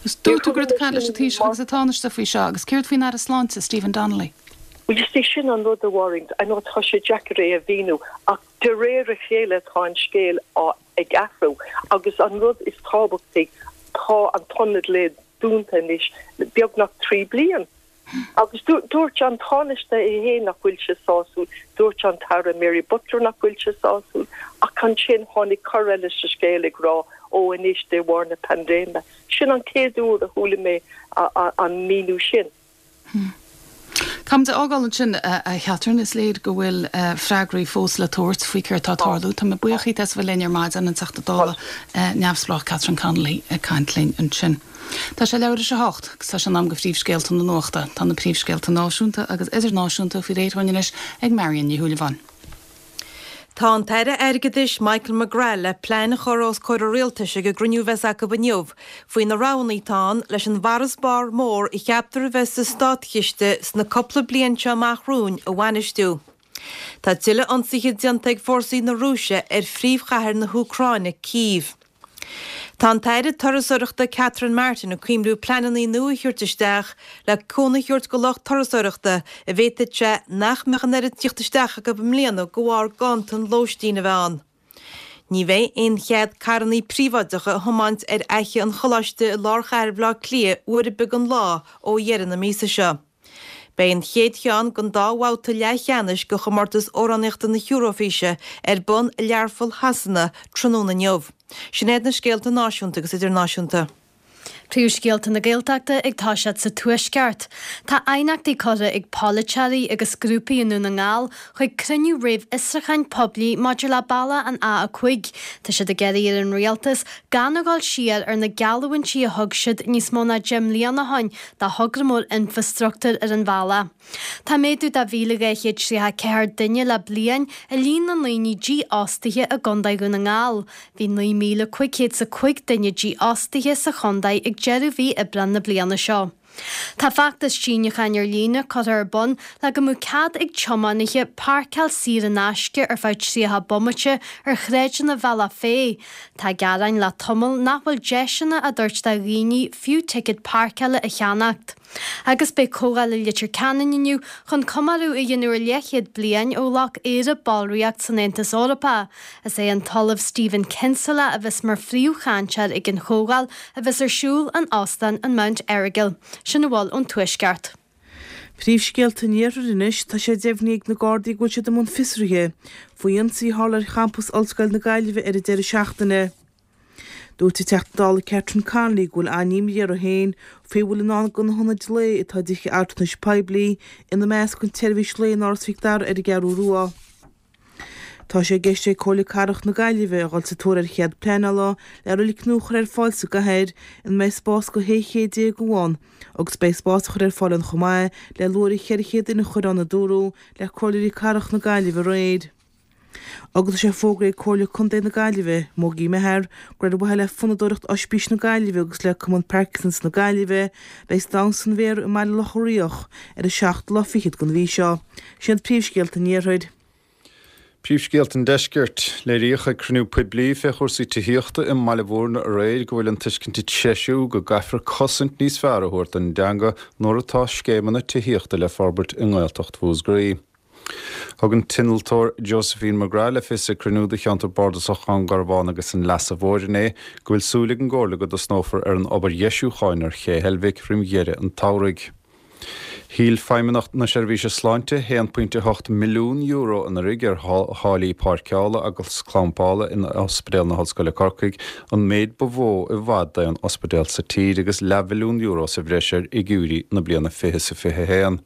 Agus dúirt tú go raibh tú ag caint leis an Taoiseach agus an Tánaiste faoi seo, agus céard faoin Aire Sláinte, Stephen Donnelly? Bhuel, you see, sin an rud, a Mháirín, I know tá sé deacair é a mhíniú, ach de réir a chéile tá an scéal á ag athrú agus an rud is tábhachtaí, tá an t-ionad lae dúnta anois le beagnach 3 bliain. Agus dúirt an Tánaiste é féin nach bhfuil sé sásúil, dúirt an tAire Mary Butler nach bhfuil sé sásúil, ach ansin tháinig cor eile sa scéal ag rá, ó anois de bharr na paindéime. Sin an chéad uair a chuala mé an míniú sin. Caithfimid é a fhágáil ansin, a Chatherine. Is léir go bhfuil freagraí fós le tabhairt faoi céard atá ag tarlú. Tá mé buíoch díot as a bheith linn ar maidin, an Teachta Dála neamhspleách Catherine Connolly ag caint linn ansin. Tá sé leathuair tar éis a hocht agus tá sé in am do phríomhscéalta na nuachta. Tá na príomhscéalta náisiúnta agus idirnáisiúnta faoi réir dhúinn anois ag Marion Ní Shúilleabháin. Tá an tAire Airgeadais Michael McGrath le plean a chur os comhair an Rialtais ag an gcruinniú a bheas acu inniu faoi na roghanna atá ann leis an bhfarasbarr mór a cheaptar a bheith sa státchiste sna cúpla bliain seo amach romhainn a bhainistiú. Tá tuilleadh ionsaithe déanta ag fórsaí na Rúise ar phríomhchathair na hÚcráine, Cív. Tá an tAire Turasóireachta Catherine Martin ag cuimhniú pleananna nua a thabhairt isteach le cúnamh a thabhairt go lucht turasóireachta a bhféadfadh sé nach mbeadh an oiread tíocht isteach acu i mbliana de bharr ganntan lóistín a bheith ann. Ní bheidh aon chead carrannaí príobháideacha a thiomáint ar Fhaiche an Choláiste i lár chathair Bhaile Átha Cliath uair ar bith den lá ó dheireadh na míosa seo. Beidh an chéad cheann den dá bhabhta leathcheannais de chomórtas amhránaíochta na hEuróifíse ar bun i Learpholl Shasana tráthnóna inniu. Sin iad na scéalta náisiúnta agus idirnáisiúnta. Príomhscéalta na Gaeltachta ag toiseacht sa Tuaisceart. Tá aighneachtaí curtha ag polaiteoirí agus grúpaí i nDún na nGall chuig cruinniú réamhfhiosrúcháin poiblí maidir le bealach an A5. Tá siad ag iarraidh ar an Rialtas gan a dhul siar ar na geallúintí a thug siad níos mó ná 10 mbliana ó shin do thogra mór infreastruchtúir ar an bhealach. Tá méadú de 1,234 duine le bliain i líon na ndaoine dífhostaithe i gContae Dhún na nGall. Bhí 9,505 duine dífhostaithe sa chontae ag deireadh mhí Aibreáin na bliana seo. Tá feachtas síniúcháin ar líne curtha ar bun le go mbeadh cead ag tiománaithe páirceáil saor in aisce ar feadh 30 bomaite ar shráideanna Bhealach Féich. Tá gearáin le tamall nach bhfuil deiseanna á dtabhairt do dhaoine fiú ticéad páirceála a cheannacht. Agus beidh comhdháil i Leitir Ceanainn inniu chun comóradh a dhéanamh ar leathchéad bliain ó ghlac Éire ballraíocht san Aontas Eorpach. Is é an tOllamh Stephen Kinsella a bheas mar phríomhchainteoir ag an chomhdháil a bheas ar siúl in Óstán an Mount Errigal. Sin a bhfuil ón Tuaisceart. Príomhscéalta an Iarthair anois, tá sé deimhnithe ag na Gardaí go bhfuil siad i mbun fiosraithe faoi ionsaí a tharla ar champas Ollscoil na Gaillimhe ar an deireadh seachtaine. Dúirt an Teachta Dála Catherine Connolly go bhfuil an-imní uirthi féin faoi a bhfuil i ndán do na hionaid lae atá i dtithe altranais poiblí, ina measc an tseirbhís lae in Áras Mhic Dara ar an gCeathrú Rua. Tá sé i gceist ag Comhairle Cathrach na Gaillimhe a dhul sa tóir ar chead pleanála le roilig nua a chur ar fáil sa gcathair ina mbeidh spás do 16 chéad ann agus beidh spás á chur ar fáil ann chomh maith le luaithre 400 duine a chur ann a dúradh le Comhairleoirí Cathrach na Gaillimhe aréir. Agus tá sé fógraithe ag Comhairle Contae na Gaillimhe, Moggie Meathar, gur ar mhaithe le Fonnadóireacht Oispís na Gaillimhe agus le Cumann Parkinson's na Gaillimhe a bheidh Damhsa an Mhéara i mBaile Locha Riach ar an seachtú lá fichead den mhí seo. Sin iad príomhscéalta an Iarthair. Príomhscéalta an Deiscirt. Léiríodh ag cruinniú poiblí fé chúrsaí tithíochta i mBaile Bhúirne aréir go bhfuil an tuiscint ag treisiú go gcaithfear cosaint níos fearr a thabhairt don dteanga nuair atá scéimeanna tithíochta le forbairt i nGaeltacht Mhúscraí. Thug an t-innealtóir Josephine McGrath le fios ag cruinniú do cheantar bardasach Dhún Garbhán agus an Leasa Mhóir inné go bhfuil súil ag an gComhairle go dtosnófar ar an obair dheisiúcháin ar Ché Heilbhic roim dheireadh an tsamhraidh. Thuill Feidhmeannacht na Seirbhíse Sláinte €1.8 milliún anuraidh ar tháillí páirceála agus clampála in Ospidéal na hOllscoile Corcaigh, an méid ba mhó i bhfad d'aon ospidéal sa tír agus leathmhilliún euro sa bhreis ar fhigiúirí na bliana 20 is a 21.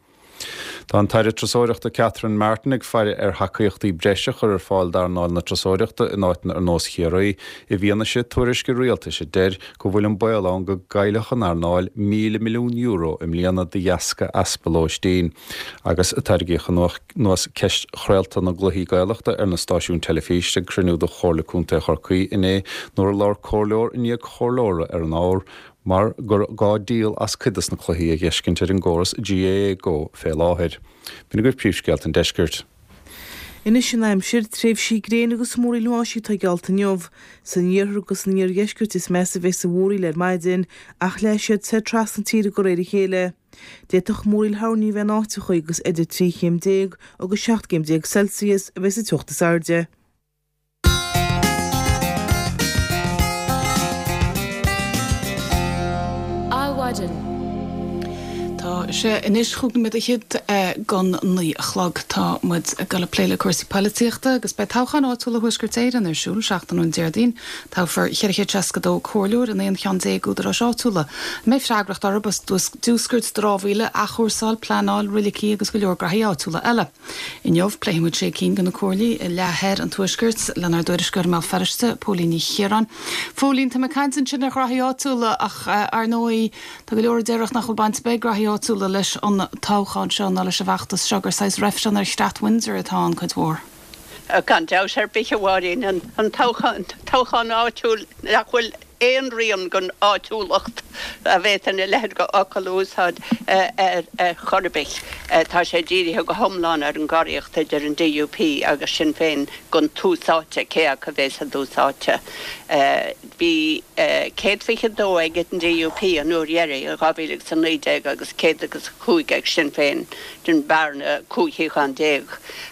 Tá an tAire Turasóireachta Catherine Martin ag faire ar thacaíochtaí breise a chur ar fáil d'earnáil na turasóireachta in áiteanna ar nós Chiarraí i bhfianaise tuairisce rialtais a deir go bhfuil an baol ann go gcaillfeadh an earnáil €1,000 milliún i mbliana de dheasca easpa lóistín. Agus tarraingíodh anuas ceist chraolta na gcluichí Gaelachta ar na stáisiúin teilifíse ag cruinniú de Chomhairle Contae Chorcaí inné nuair a labhair comhairleoir i ndiaidh comhairleora ar an ábhar mar gur gá díol as cuid des na cluichí a dh'fheiscint ar an gcóras GAA Go fé láthair. B'in agaibh príomhscéalta an deiscirt. Anois an aimsir, tréimhsí gréine agus múraíl bháistí atá geallta inniu. San iarthar agus san iardheisceart is measa a bheas an mhúraíl ar maidin, ach leáfaidh siad soir trasna na tíre de réir a chéile. D'fhéadfadh múraíl thoirní a bheith in áiteachaí agus idir 13 chéim agus 17 gcéim Celsius a bheas an teocht is airde. Adhmhaidin. Tá sé anois chúig nóiméad fhichead don 9 a chlog. Tá muid ag dul ag plé le cúrsaí poilitíochta agus beidh toghcháin áitiúla Thuaisceart Éireann ar siúl seachtain ón Déardaoin. Toghfar 462 comhairleoir in 11 cheann údaráis áitiúla a mbeidh freagracht orthu as diúscairt dramhaíola, athchúrsáil, pleanáil, roilicí agus go leor graithí áitiúla eile. Inniu, pléifidh muid sé cinn de na comhairlí i leath thoir an Tuaiscirt lenár dtuairisceoir i mBéal Feirste, Póilín Ní Chiaráin. Phóilín, tá mé ag caint ansin ar ghraithí áitiúla ach, ar ndóigh, tá go leor a déarfadh nach bhfuil baint ar bith ag graithí áitiúla leis an toghchán seo ná leis an bhfeachtas seo, gur saghas reifreann ar chreat Windsor atá ann cuid mhór. Gan dabht ar bith, a Mháirín, an toghchán áitiúil nach bhfuil aon rian den áitiúlacht, dá bhféadfainn a leithéid de fhocal a úsáid ar chor ar bith. Tá sé dírithe go hiomlán ar an gcoraíocht idir an DUP agus Sinn Féin don tús áite, cé acu a bhéas i dtús áite. Bhí 122 ag an DUP an uair dheiridh in 2019 agus 105 ag Sinn Féin, sin bearna 15 shuíochán.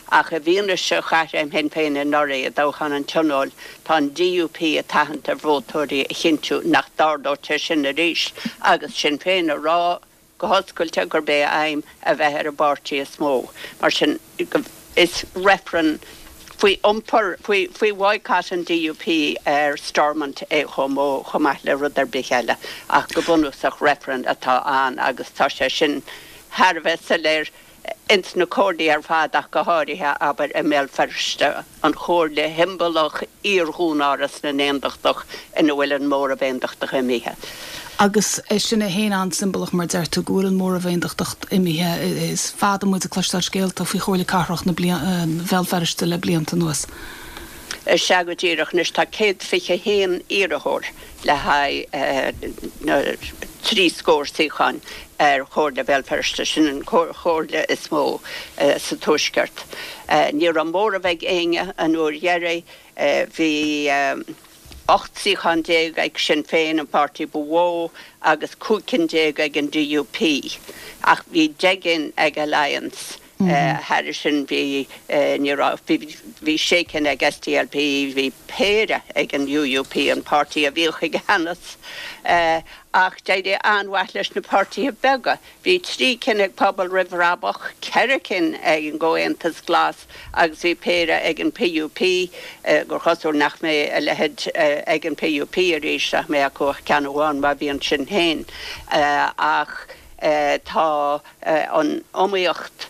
Ach i bhfianaise chaithréim Shinn Féin anuraidh i dtoghchán an Tionóil, Tá an DUP ag tathant ar vótóirí a chinntiú nach dtarlóidh sé sin arís agus Sinn Féin ag rá go hoscailte gurb é a aidhm a bheith ar an bpáirtí is mó. Mar sin, is reifreann faoi iompar, faoi bhoycott an DUP ar Stormont é chomh mó, chomh maith le rud ar bith eile. Ach go bunúsach reifreann atá ann agus tá sé sin thar a bheith soiléir. ins na comhairlí ar fad ach go háirithe, abair, i mBéal Feirste, an chomhairle shiombalach iar-Dhúnáras na nAontachtach ina bhfuil an móramh Aontachtach imithe. Agus sin é féin an-siombalach, mar deir tú, go bhfuil an móramh Aontachtach imithe. Is fada muid ag cloisteáil scéalta faoi Chomhairle Cathrach na Bhéal Feirste le blianta anuas. Sea, go díreach. Anois tá 121 iarrthóir le haghaidh na dtrí scór suíochán ar Chomhairle Bhéal Feirste, sin an chomhairle is mó sa Tuaisceart. Ní raibh móramh ag éinne an uair dheiridh. Bhí 18 suíochán ag Sinn Féin, an páirtí ba mhó, agus 15 cinn ag an DUP, ach bhí 10 gcinn ag Alliance. Thairis sin bhí, ní raibh, bhí sé cinn ag SDLP, bhí péire ag an UUP, an páirtí a bhíodh i gceannas. Ach d'éirigh an-mhaith leis na páirtithe beaga. Bhí trí cinn ag Pobal Roimh Bhrabach, ceithre cinn ag an gComhaontas Glas agus bhí péire ag an PUP, gur chosúil nach mbeidh a leithéid ag an PUP arís, nach mbeidh acu ach ceann amháin má bhíonn sin féin. Ach tá. an iomaíocht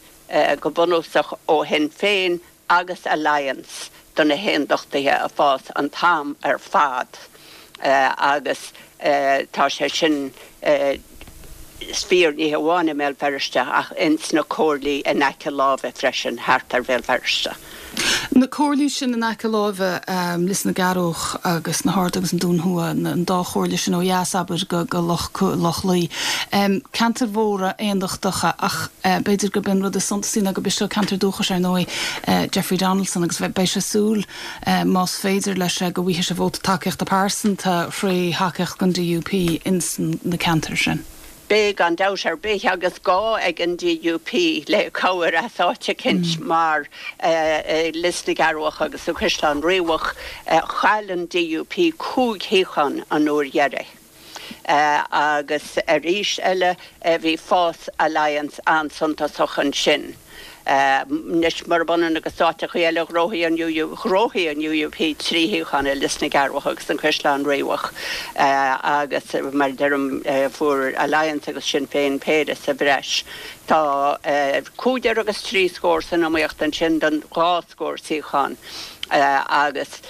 go bunúsach ó Shinn Féin agus Alliance do na hAondachtaithe ag fás an t-am ar fad agus tá sé sin fíor ní hamháin i mBéal Feirste ach ins na comhairlí in aice láimhe freisin thart ar Bhéal Feirste. Na comhairlí sin in aice láimhe, Lios na gCearrbhach agus na hArda agus an Dún Thuaidh, an dá chomhairle sin ó dheas, abair, go Loch Lao. Ceantair mhóra aondachtacha ach b'fhéidir gurb é an rud is suntasaí ná gurb é seo ceantar dúchais, ar ndóigh, Jeffrey Donaldson agus beidh sé ag súil, más féidir leis, go bhfaighidh sé vóta tacaíochta pearsanta tré thacaíocht don DUP ins na ceantair sin. Beidh, gan dabht ar bith, agus gá ag an DUP le cabhair as áit eicint mar i Lios na gCearrbhach agus sa Chaisleán Riabhach, chaill an DUP 5 shuíochán an uair dheiridh. Agus arís eile bhí fás Alliance an-suntasach ansin. Anois, murab ionann agus áiteachaí eile, ghnóthaigh an ghnóthaigh an UUP 3 shuíochán i Lios na gCearrbhach agus an Caisleán Riabhach agus, mar a deirim, fuair Alliance agus Sinn Féin péire sa bhreis. Tá cúigear agus trí scór san iomaíocht ansin don dhá scór suíochán agus,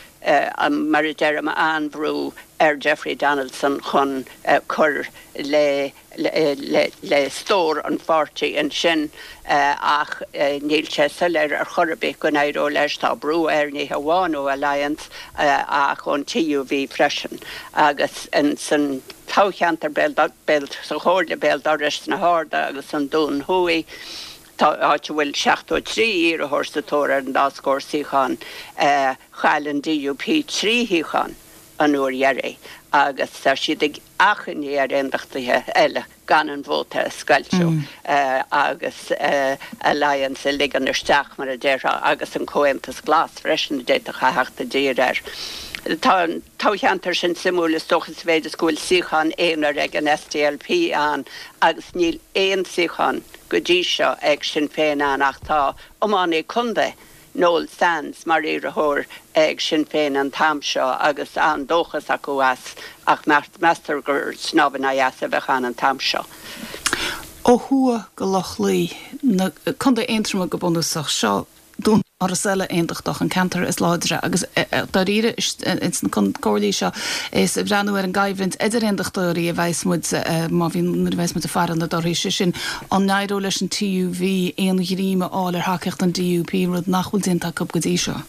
mar a deirim, an-bhrú ar Jeffrey Donaldson chun cur le le stór an pháirtí ansin ach níl sé soiléir ar chor ar bith go n-éireoidh leis. Tá brú air ní hamháin ó Alliance ach ón TUV freisin agus san toghcheantar Béal, sa chomhairle béal dorais sna hArda agus an Dún Thuaidh, tá áit a bhfuil 73 iarrthóir sa tóir ar an dá scór suíochán, chaill an DUP 3 shuíochán an uair dheiridh agus tá siad ag achainí ar aondachtaithe eile gan an vóta a scoilteadh agus Alliance a ligean isteach, mar a déarfá, agus an Comhaontas Glas freisin a d'fhéadfadh a theacht i dtír air. Tá an toghcheantar sin suimiúil is dócha sa mhéid is go bhfuil suíochán aonair ag an SDLP ann agus níl aon suíochán go dtí seo ag Sinn Féin ann ach tá iománaí contae Noel Sands mar iarrthóir ag Sinn Féin an t-am seo agus an-dóchas acu as ach meastar gur snámh in aghaidh easa a bheadh ann an t-am seo. Ó thuaidh go Loch Lao, na, Contae Aontroma go bunúsach, seo dúnáras eile aondachtach, an ceantar is láidre agus dáiríre ins na comhairlí seo is ag breathnú ar an gcoimhlint idir aondachtóirí a bheas muid má bhíonn, nuair a bheas muid ag faire na dtorthaí, sé sin An n-éireoidh leis an TUV aon ghreim a fháil ar thacaíocht an DUP, rud nach bhfuil déanta acu go dtí seo?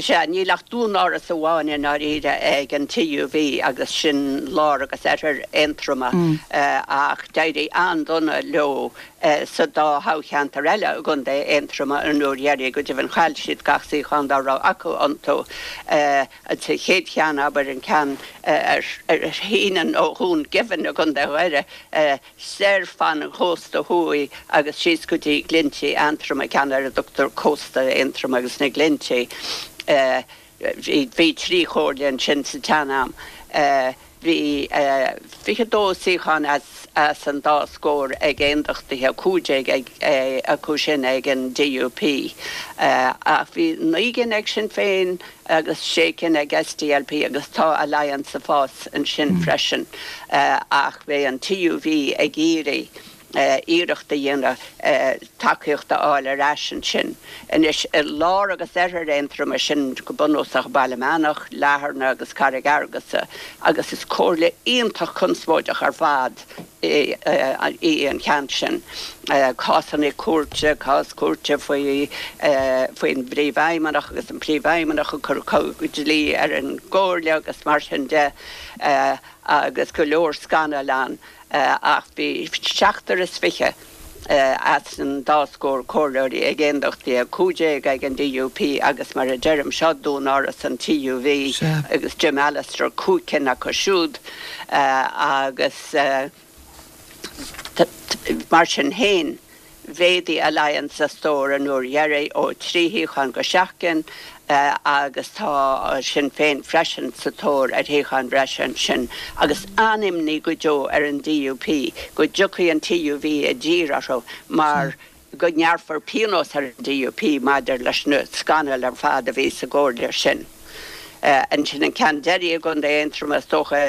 Sea, níl ach dúnáras amháin i ndáiríre ag an TUV agus sin lár agus oirthear Aontroma ach d'éirigh an-dona leo sa dá thoghcheantar eile i gContae Aontroma an uair dheiridh, go deimhin chaill siad gach suíochán dá raibh acu iontu. Sa chéad cheann, abair, an ceann a shíneann ó Dhún Geimhin i gContae Dhoire, soir fan an chósta thuaidh agus síos go dtí Glinntí Aontroma, ceann ar a dtugtar Cósta Aontroma agus na Glinntí. Bhí trí chomhairle ansin sa tsean-am. Bhí 22 suíochán as an dá scór ag aondachtaithe, 15 acu sin ag an DUP. Ach bhí naoi gcinn ag Sinn Féin, agus sé cinn ag SDLP agus tá Alliance ag fás ansin freisin ach beidh an TUV ag iarraidh iarracht a dhéanamh tacaíocht a fháil ar ais ansin. Anois i lár agus oirthear Aontroma, sin go bunúsach Baile Meánach, Latharna agus Carraig Fhearghusa agus is comhairle iontach conspóideach ar fad í an ceann sin. Cásanna cúirte, cás cúirte faoi faoin bpríomhfheidhmeannach agus an príomhfheidhmeannach ag cur dlí ar an gcomhairle agus mar sin de agus go leor scannail ann ach bhí seachtar is fiche as an dá scór comhairleoirí ag aondachtaithe, 15 ag an DUP agus mar a deirim, seo dúnáras an TUV agus Jim Allister, cúig cinn acu siúd agus mar sin féin mhéadaigh Alliance a stór an uair dheiridh ó thrí shuíochán go seacht gcinn agus tá Sinn Féin freisin sa tóir ar shuíocháin bhreise ansin agus an-imní go deo ar an DUP go dtiocfaidh an TUV i dtír orthu mar go ngearrfar pionós ar an DUP maidir leis na scannail ar fad a bhí sa gcomhairle sin. Ansin an ceann deiridh i gContae Aontroma is dócha,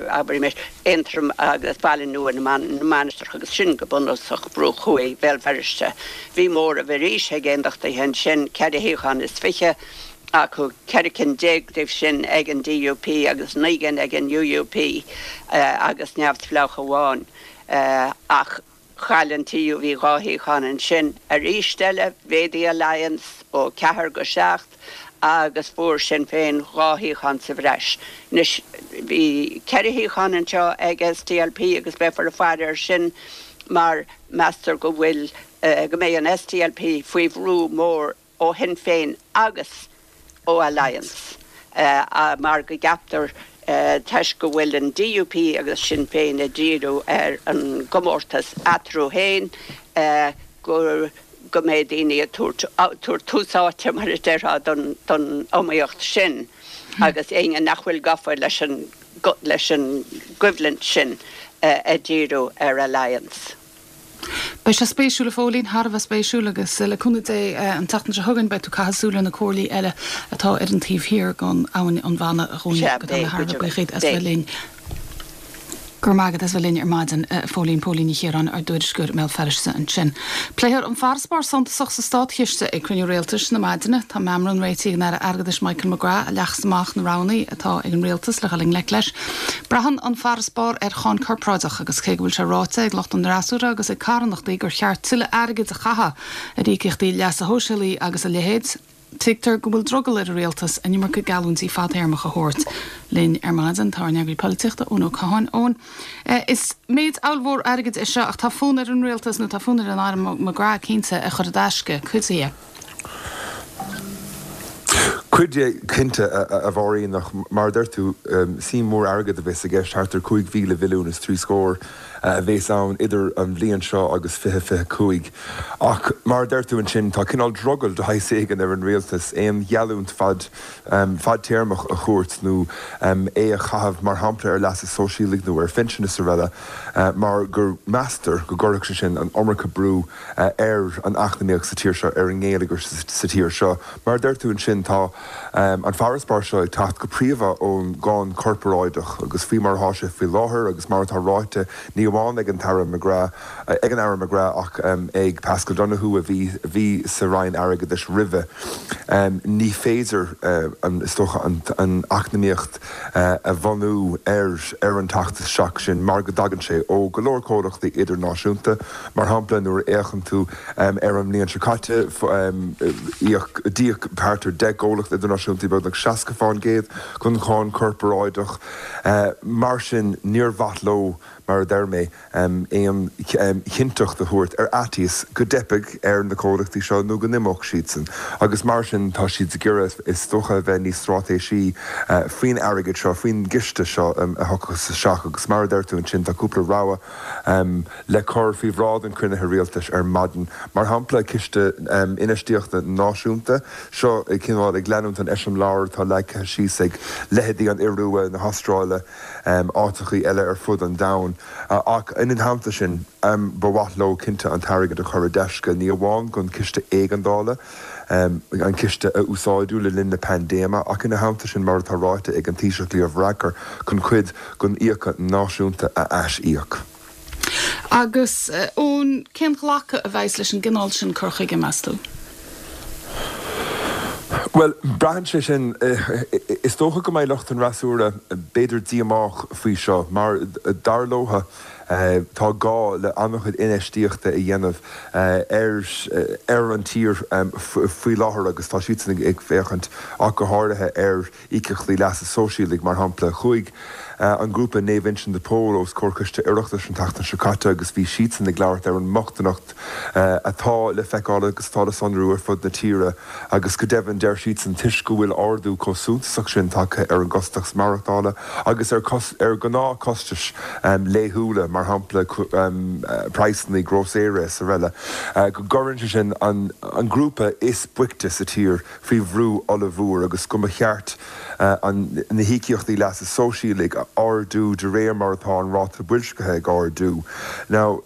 abraimis, Aontroim agus Baile Nua na Mainistreach agus sin go bunúsach bruach thuaidh Bhéal Feirste. Bhí móramh arís ag aondachtaithe ansin, ceithre shuíochán is fiche acu, 14 cinn díobh sin ag an DUP agus naoi gcinn ag an UUP agus neamhspleách amháin. Ach. Chaill an TUV 2 shuíochán ansin. Arís eile, mhéadaigh Alliance ó cheathair go seacht agus fuair Sinn Féin 2 shuíochán sa bhreis. Anois, bhí ceithre shuíochán anseo ag SDLP agus beifear ag faire air sin mar meastar go bhfuil, go mbeidh an SDLP faoi bhrú mór ó Shinn Féin agus ó Alliance mar go gceaptar toisc go bhfuil an DUP agus Sinn Féin ag díriú ar an gcomórtas eatarthu féin go go mbeidh daoine ag tabhairt tús áite mar a déarfá don iomaíocht sin agus éinne nach bhfuil gafa leis an leis an gcoimhlint sin ag díriú ar Alliance. Beidh sé spéisiúil a Phóilín, thar a bheith spéisiúil agus le cúnamh Dé an tseachtain seo chugainn beidh tú ag caitheamh súil ar na comhairlí eile atá ar an taobh thiar den abhainn an Bhanna a Dhúin Sea, go dtá beidh, mé thar a bheith go buíoch deimhin, díot as bheith beidh. linn. Go raibh maith agat as bheith linn ar maidin, a Phóilín, Póilín Ní Chiaráin, ár dtuairisceoir i mBéal Feirste ansin. Pléifear an farasbarr suntasach sa státchiste ag cruinniú rialtais na maidine. Tá meamram réitithe ag an Aire Airgeadais Michael McGrath a leagfas amach na roghanna atá ag an rialtas le dhul i ngleic leis. Braitheann an farasbarr ar cháin corparáideach agus cé go bhfuil sé ráite ag lucht an fhreasúra agus ag carthanachtaí gur cheart tuilleadh airgid a chaitheamh ar íocaíochtaí leasa shóisialaigh agus a leithéid, tuigtear go bhfuil drogall ar an rialtas an iomarca geallúintí fadtéarmacha a thabhairt. Linn ar maidin tá ár n-eagraí polaitíochta, Eoin Ó Catháin. Eoin, is méid ollmhór airgid é seo ach tá fonn ar an rialtas, nó tá fonn ar an Aire McGrath cinnte, a chur i dtaisce, cuid dhe. Cuid de, cinnte, a Mháirín, ach mar a deir tú, suim mhór airgid a bheas i gceist, thart ar 5,000 mhilliún is trí scór a bheas ann idir an bhliain seo agus 2025. Ach mar a deir tú ansin, tá cineál drogall de shaghas éigin ar an rialtas aon gheallúint fad fadtéarmach a thabhairt nó é a chaitheamh, mar shampla, ar leasa sóisialaigh nó ar phinsin is araile, mar go meastar go gcuirfeadh sé sin an iomarca brú ar an eacnamaíocht sa tír seo, ar an ngeilleagar sa tír seo. Mar a deir tú ansin, tá an farasbarr seo ag teacht go príomha ón gcáin chorparáideach agus faoi mar atá sé faoi láthair agus mar atá ráite ní amháin ag an tAire McGrath, ag an Aire McGrath ach ag Paschal Donohoe a bhí a bhí sa Roinn Airgeadais roimhe, ní féidir an, is dócha, an eacnamaíocht a bhunú ar ar an teacht isteach sin mar go dtagann sé ó go leor comhlachtaí idirnáisiúnta. Mar shampla, nuair a fhéachann tú ar an mbliain seo caite, íoc, d'íoc thart ar 10 gcomhlacht idirnáisiúnta beagnach 60% den cháin chorparáideach. Mar sin, níor mhaith leo, mar a deir mé, aon chinnteacht a thabhairt ar fhaitíos go dteipfeadh ar na comhlachtaí seo nó go n-imeodh siadsan. Agus mar sin, tá siad ag iarraidh, is dócha, a bheith níos straitéisí faoin airgead seo, faoin gciste seo a thiocfas isteach. Agus mar a deir tú ansin, tá cúpla rogha le cur faoi bhráid an chruinnithe rialtais ar maidin. Mar shampla, Ciste Infheistíochta Náisiúnta, seo cineál ag leanúint an eiseamláir atá leagtha síos ag leithéidí an Iorua, na hAstráile, áiteachaí eile ar fud an domhain. Ach ina theannta sin, ba mhaith leo cinnte an t-airgead a chur i dtaisce, ní amháin don chiste éigeandála, an ciste a úsáideadh le linn na paindéime, ach ina theannta sin, mar atá ráite ag an Taoiseach Leo Varadkar, chun cuid den fhiacha náisiúnta a ais-íoc. Agus, Eoin, cén ghlacadh a bheas leis an gcineál sin cur chuige, meas tú? Bhuel, braitheann sé sin. Is dócha go mbeidh lucht an fhreasúra b'fhéidir díomách faoi seo, mar dar leo, Tá gá le an-chuid infheistíochta a dhéanamh ar ar an tír faoi láthair agus tá siadsan ag féachaint ach go háirithe ar íocaíochtaí leasa sóisialaigh, mar shampla. Chuaigh an grúpa Naomh Uinseann de Pól os comhair Coiste Oireachtais an tseachtain seo caite agus bhí siadsan ag labhairt ar an mbochtaineacht atá le feiceáil agus atá le sonrú ar fud na tíre agus go deimhin deir siadsan toisc go bhfuil ardú chomh suntasach sin tagtha ar an gcostas maireachtála agus ar ar ghnáthchostais laethúla, mar shampla praghsanna grósaera is araile, go gcuireann sé sin an grúpa is boichte sa tír faoi bhrú ollmhór agus go mba cheart na híocaíochtaí leasa sóisialaigh a ardú de réir mar atá an ráta boilscithe ag ardú. Now,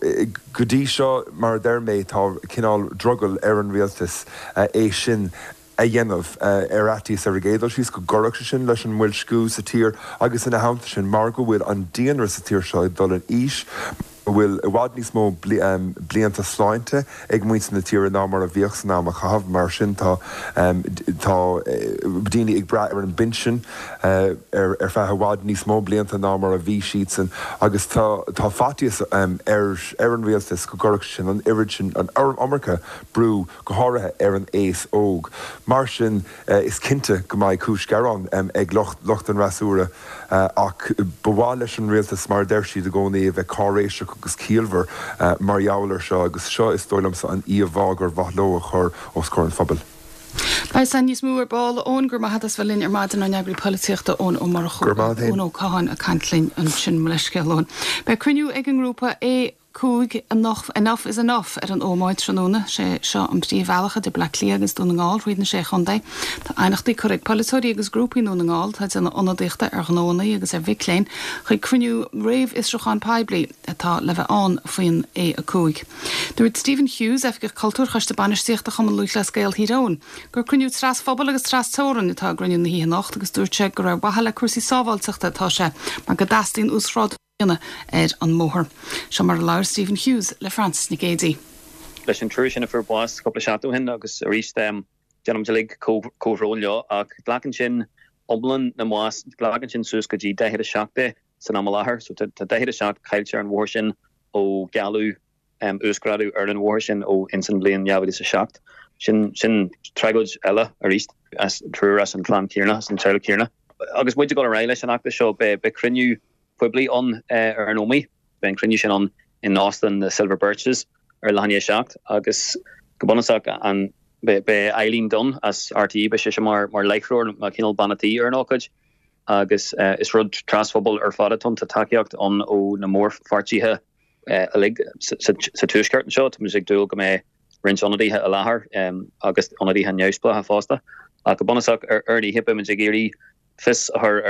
go dtí seo, mar a deir mé, tá cineál drogall ar an rialtas é sin a dhéanamh, ar fhaitíos ar an gcéad dul síos go gcuirfeadh sé sin leis an mboilsciú sa tír agus ina theannta sin mar go bhfuil an daonra sa tír seo ag dul in aois, go bhfuil i bhfad níos mó blianta sláinte ag muintir na tíre ná mar a bhíodh san am a caitheadh. Mar sin tá tá daoine ag brath ar an bpinsean ar ar feadh i bhfad níos mó blianta ná mar a bhí siadsan agus tá tá faitíos ar ar an rialtas go gcuirfeadh sé sin an oiread sin an iomarca brú go háirithe ar an aos óg. Mar sin, is cinnte go mbeidh cúis ghearáin ag lucht an fhreasúra ach ba mhaith leis an rialtas, mar a deir siad i gcónaí, a bheith cáiréiseach agus ciallmhar mar gheall air seo agus seo, is dóigh liomsa, an íomhá gur mhaith leo a chur os comhair an phobail. Beidh san níos mó ar ball, a Eoin. Go raibh maith agat as bheith linn ar maidin, ár n-eagraí polaitíochta, Eoin Ó Murchú. Go raibh maith agat féin. Eoin Ó Catháin ag caint linn ansin, mo leithscéal, Eoin. Beidh cruinniú ag an ngrúpa A. A5 Enough is Enough ar an Ómaigh tráthnóna. Sé seo an príomhbhealach idir Bleá Cliath agus Dún na nGall thríd na Sé Chontae. Tá aighneachtaí curtha ag polaiteoirí agus grúpaí i nDún na nGall atá ag déanamh ionadaíochta ar ghnóanna agus ar mhic léinn chuig cruinniú réamhfhiosrúcháin poiblí atá le bheith ann faoin A5. Dúirt Stephen Hughes, Oifigeach Cultúir Choiste Bainistíochta Chumann Lúthchleas Gael Thír Eoghain, gur cruinniú tras-phobail agus tras-teorainn atá i gcruinniú na hoíche anocht agus dúirt sé gur ar mhaithe le cúrsaí sábháilteachta atá sé mar go dteastaíonn uasghrádú a dhéanamh ar an mbóthar. Seo mar a labhair Stephen Hughes le Frances Nic Géadaigh. Leis an triúr sin a fuair bás cúpla seachtain ó shin agus arís déanaimid uilig comhbhrón leo ach glacann sin iomlán na mbás, glacann sin suas go dtí 47 é san am i láthair. So tá 47 caillte ar an bhóthar sin ó gealladh uasghrádú ar an bhóthar sin ó ins an bhliain 2007. Sin sin tragóid eile arís as triúr as an chlann chéanna, as an teaghlach céanna. Agus muid ag dul ar aghaidh leis an fheachtas seo beidh beidh cruinniú poiblí ann ar an Ómaigh. Beidh an cruinniú sin ann in Óstán na Silver Birches ar leath i ndiaidh a 7 agus go bunúsach an beidh beidh Eileen Dunne as RTÉ beidh sise mar mar láithreoir mar cineál bean a' tí ar an ócáid agus is rud trasphobail ar fad atá ann. Tá tacaíocht ann ó na mórpháirtithe uilig sa Tuaisceart anseo. Táimid ag dúil go mbeidh roinnt ionadaithe i láthair agus ionadaithe neamhspleácha fosta. Ach go bunúsach ar an oíche beimid ag iarraidh fios a chur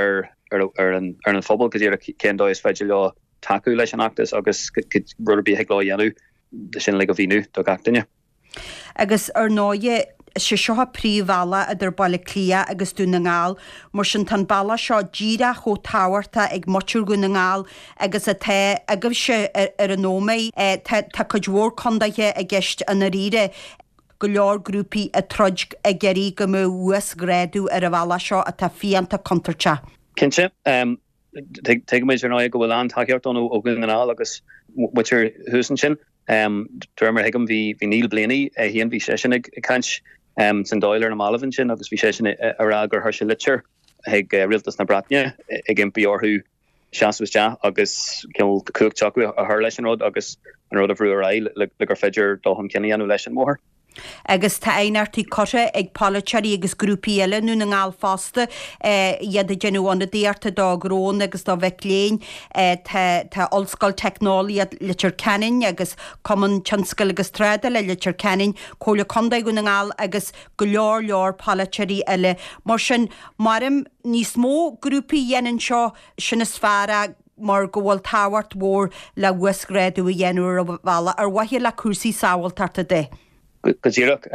ar an ar an phobal go díreach cén dóigh is féidir leo tacú leis an fheachtas agus rud ar bith a thig leo a dhéanamh sin uilig a mhíniú do gach duine. Agus ar ndóighe, is é seo an príomhbhealach idir Baile Átha Cliath agus Dún na nGall, mar sin tá an bealach seo díreach chomh tábhachtach ag muintir Dhún na nGall agus atá agaibhse ar an Ómaigh. Tá cuid mhór condaetha i gceist i ndáiríre, go leor grúpaí ag troid ag iarraidh go mbeadh uasghrádú ar an bhealach seo atá fiánta contúirteach. Cinnte. Tuigimid ar ndóigh go bhfuil an-tacaíocht ann ó Dhún na nGall agus muintir thuas ansin. De réir mar a thuigim bhí Niall Blaney é féin, bhí seisean ag caint san Dáil ar na mallaibh ansin agus bhí seisean ag rá gur chuir sé litir chuig Rialtas na Breataine ag impí orthu seasamh isteach agus cineál cumhacht s'acu a chur leis an rud agus an rud a bhrú ar aghaidh le gur féidir dul chun cinn a dhéanamh leis an mbóthar. Agus tá aighneachtaí curtha ag polaiteoirí agus grúpaí eile i nDún na nGall fosta, iad ag déanamh ionadaíochta do ghnónna agus do mhic léinn. Tá Ollscoil Teicneolaíocht Leitir Ceanainn agus Cumann Tionscail agus Trádála Leitir Ceanainn, Comhairle Contae Dhún na nGall agus go leor leor polaiteoirí eile. Mar sin, maram níos mó grúpaí a dhéanann seo, sin is fearr é. mar go bhfuil tábhacht mhór le uasghrádú a dhéanamh ar an bhealach ar mhaithe le cúrsaí sábháilteachta de. Go díreach.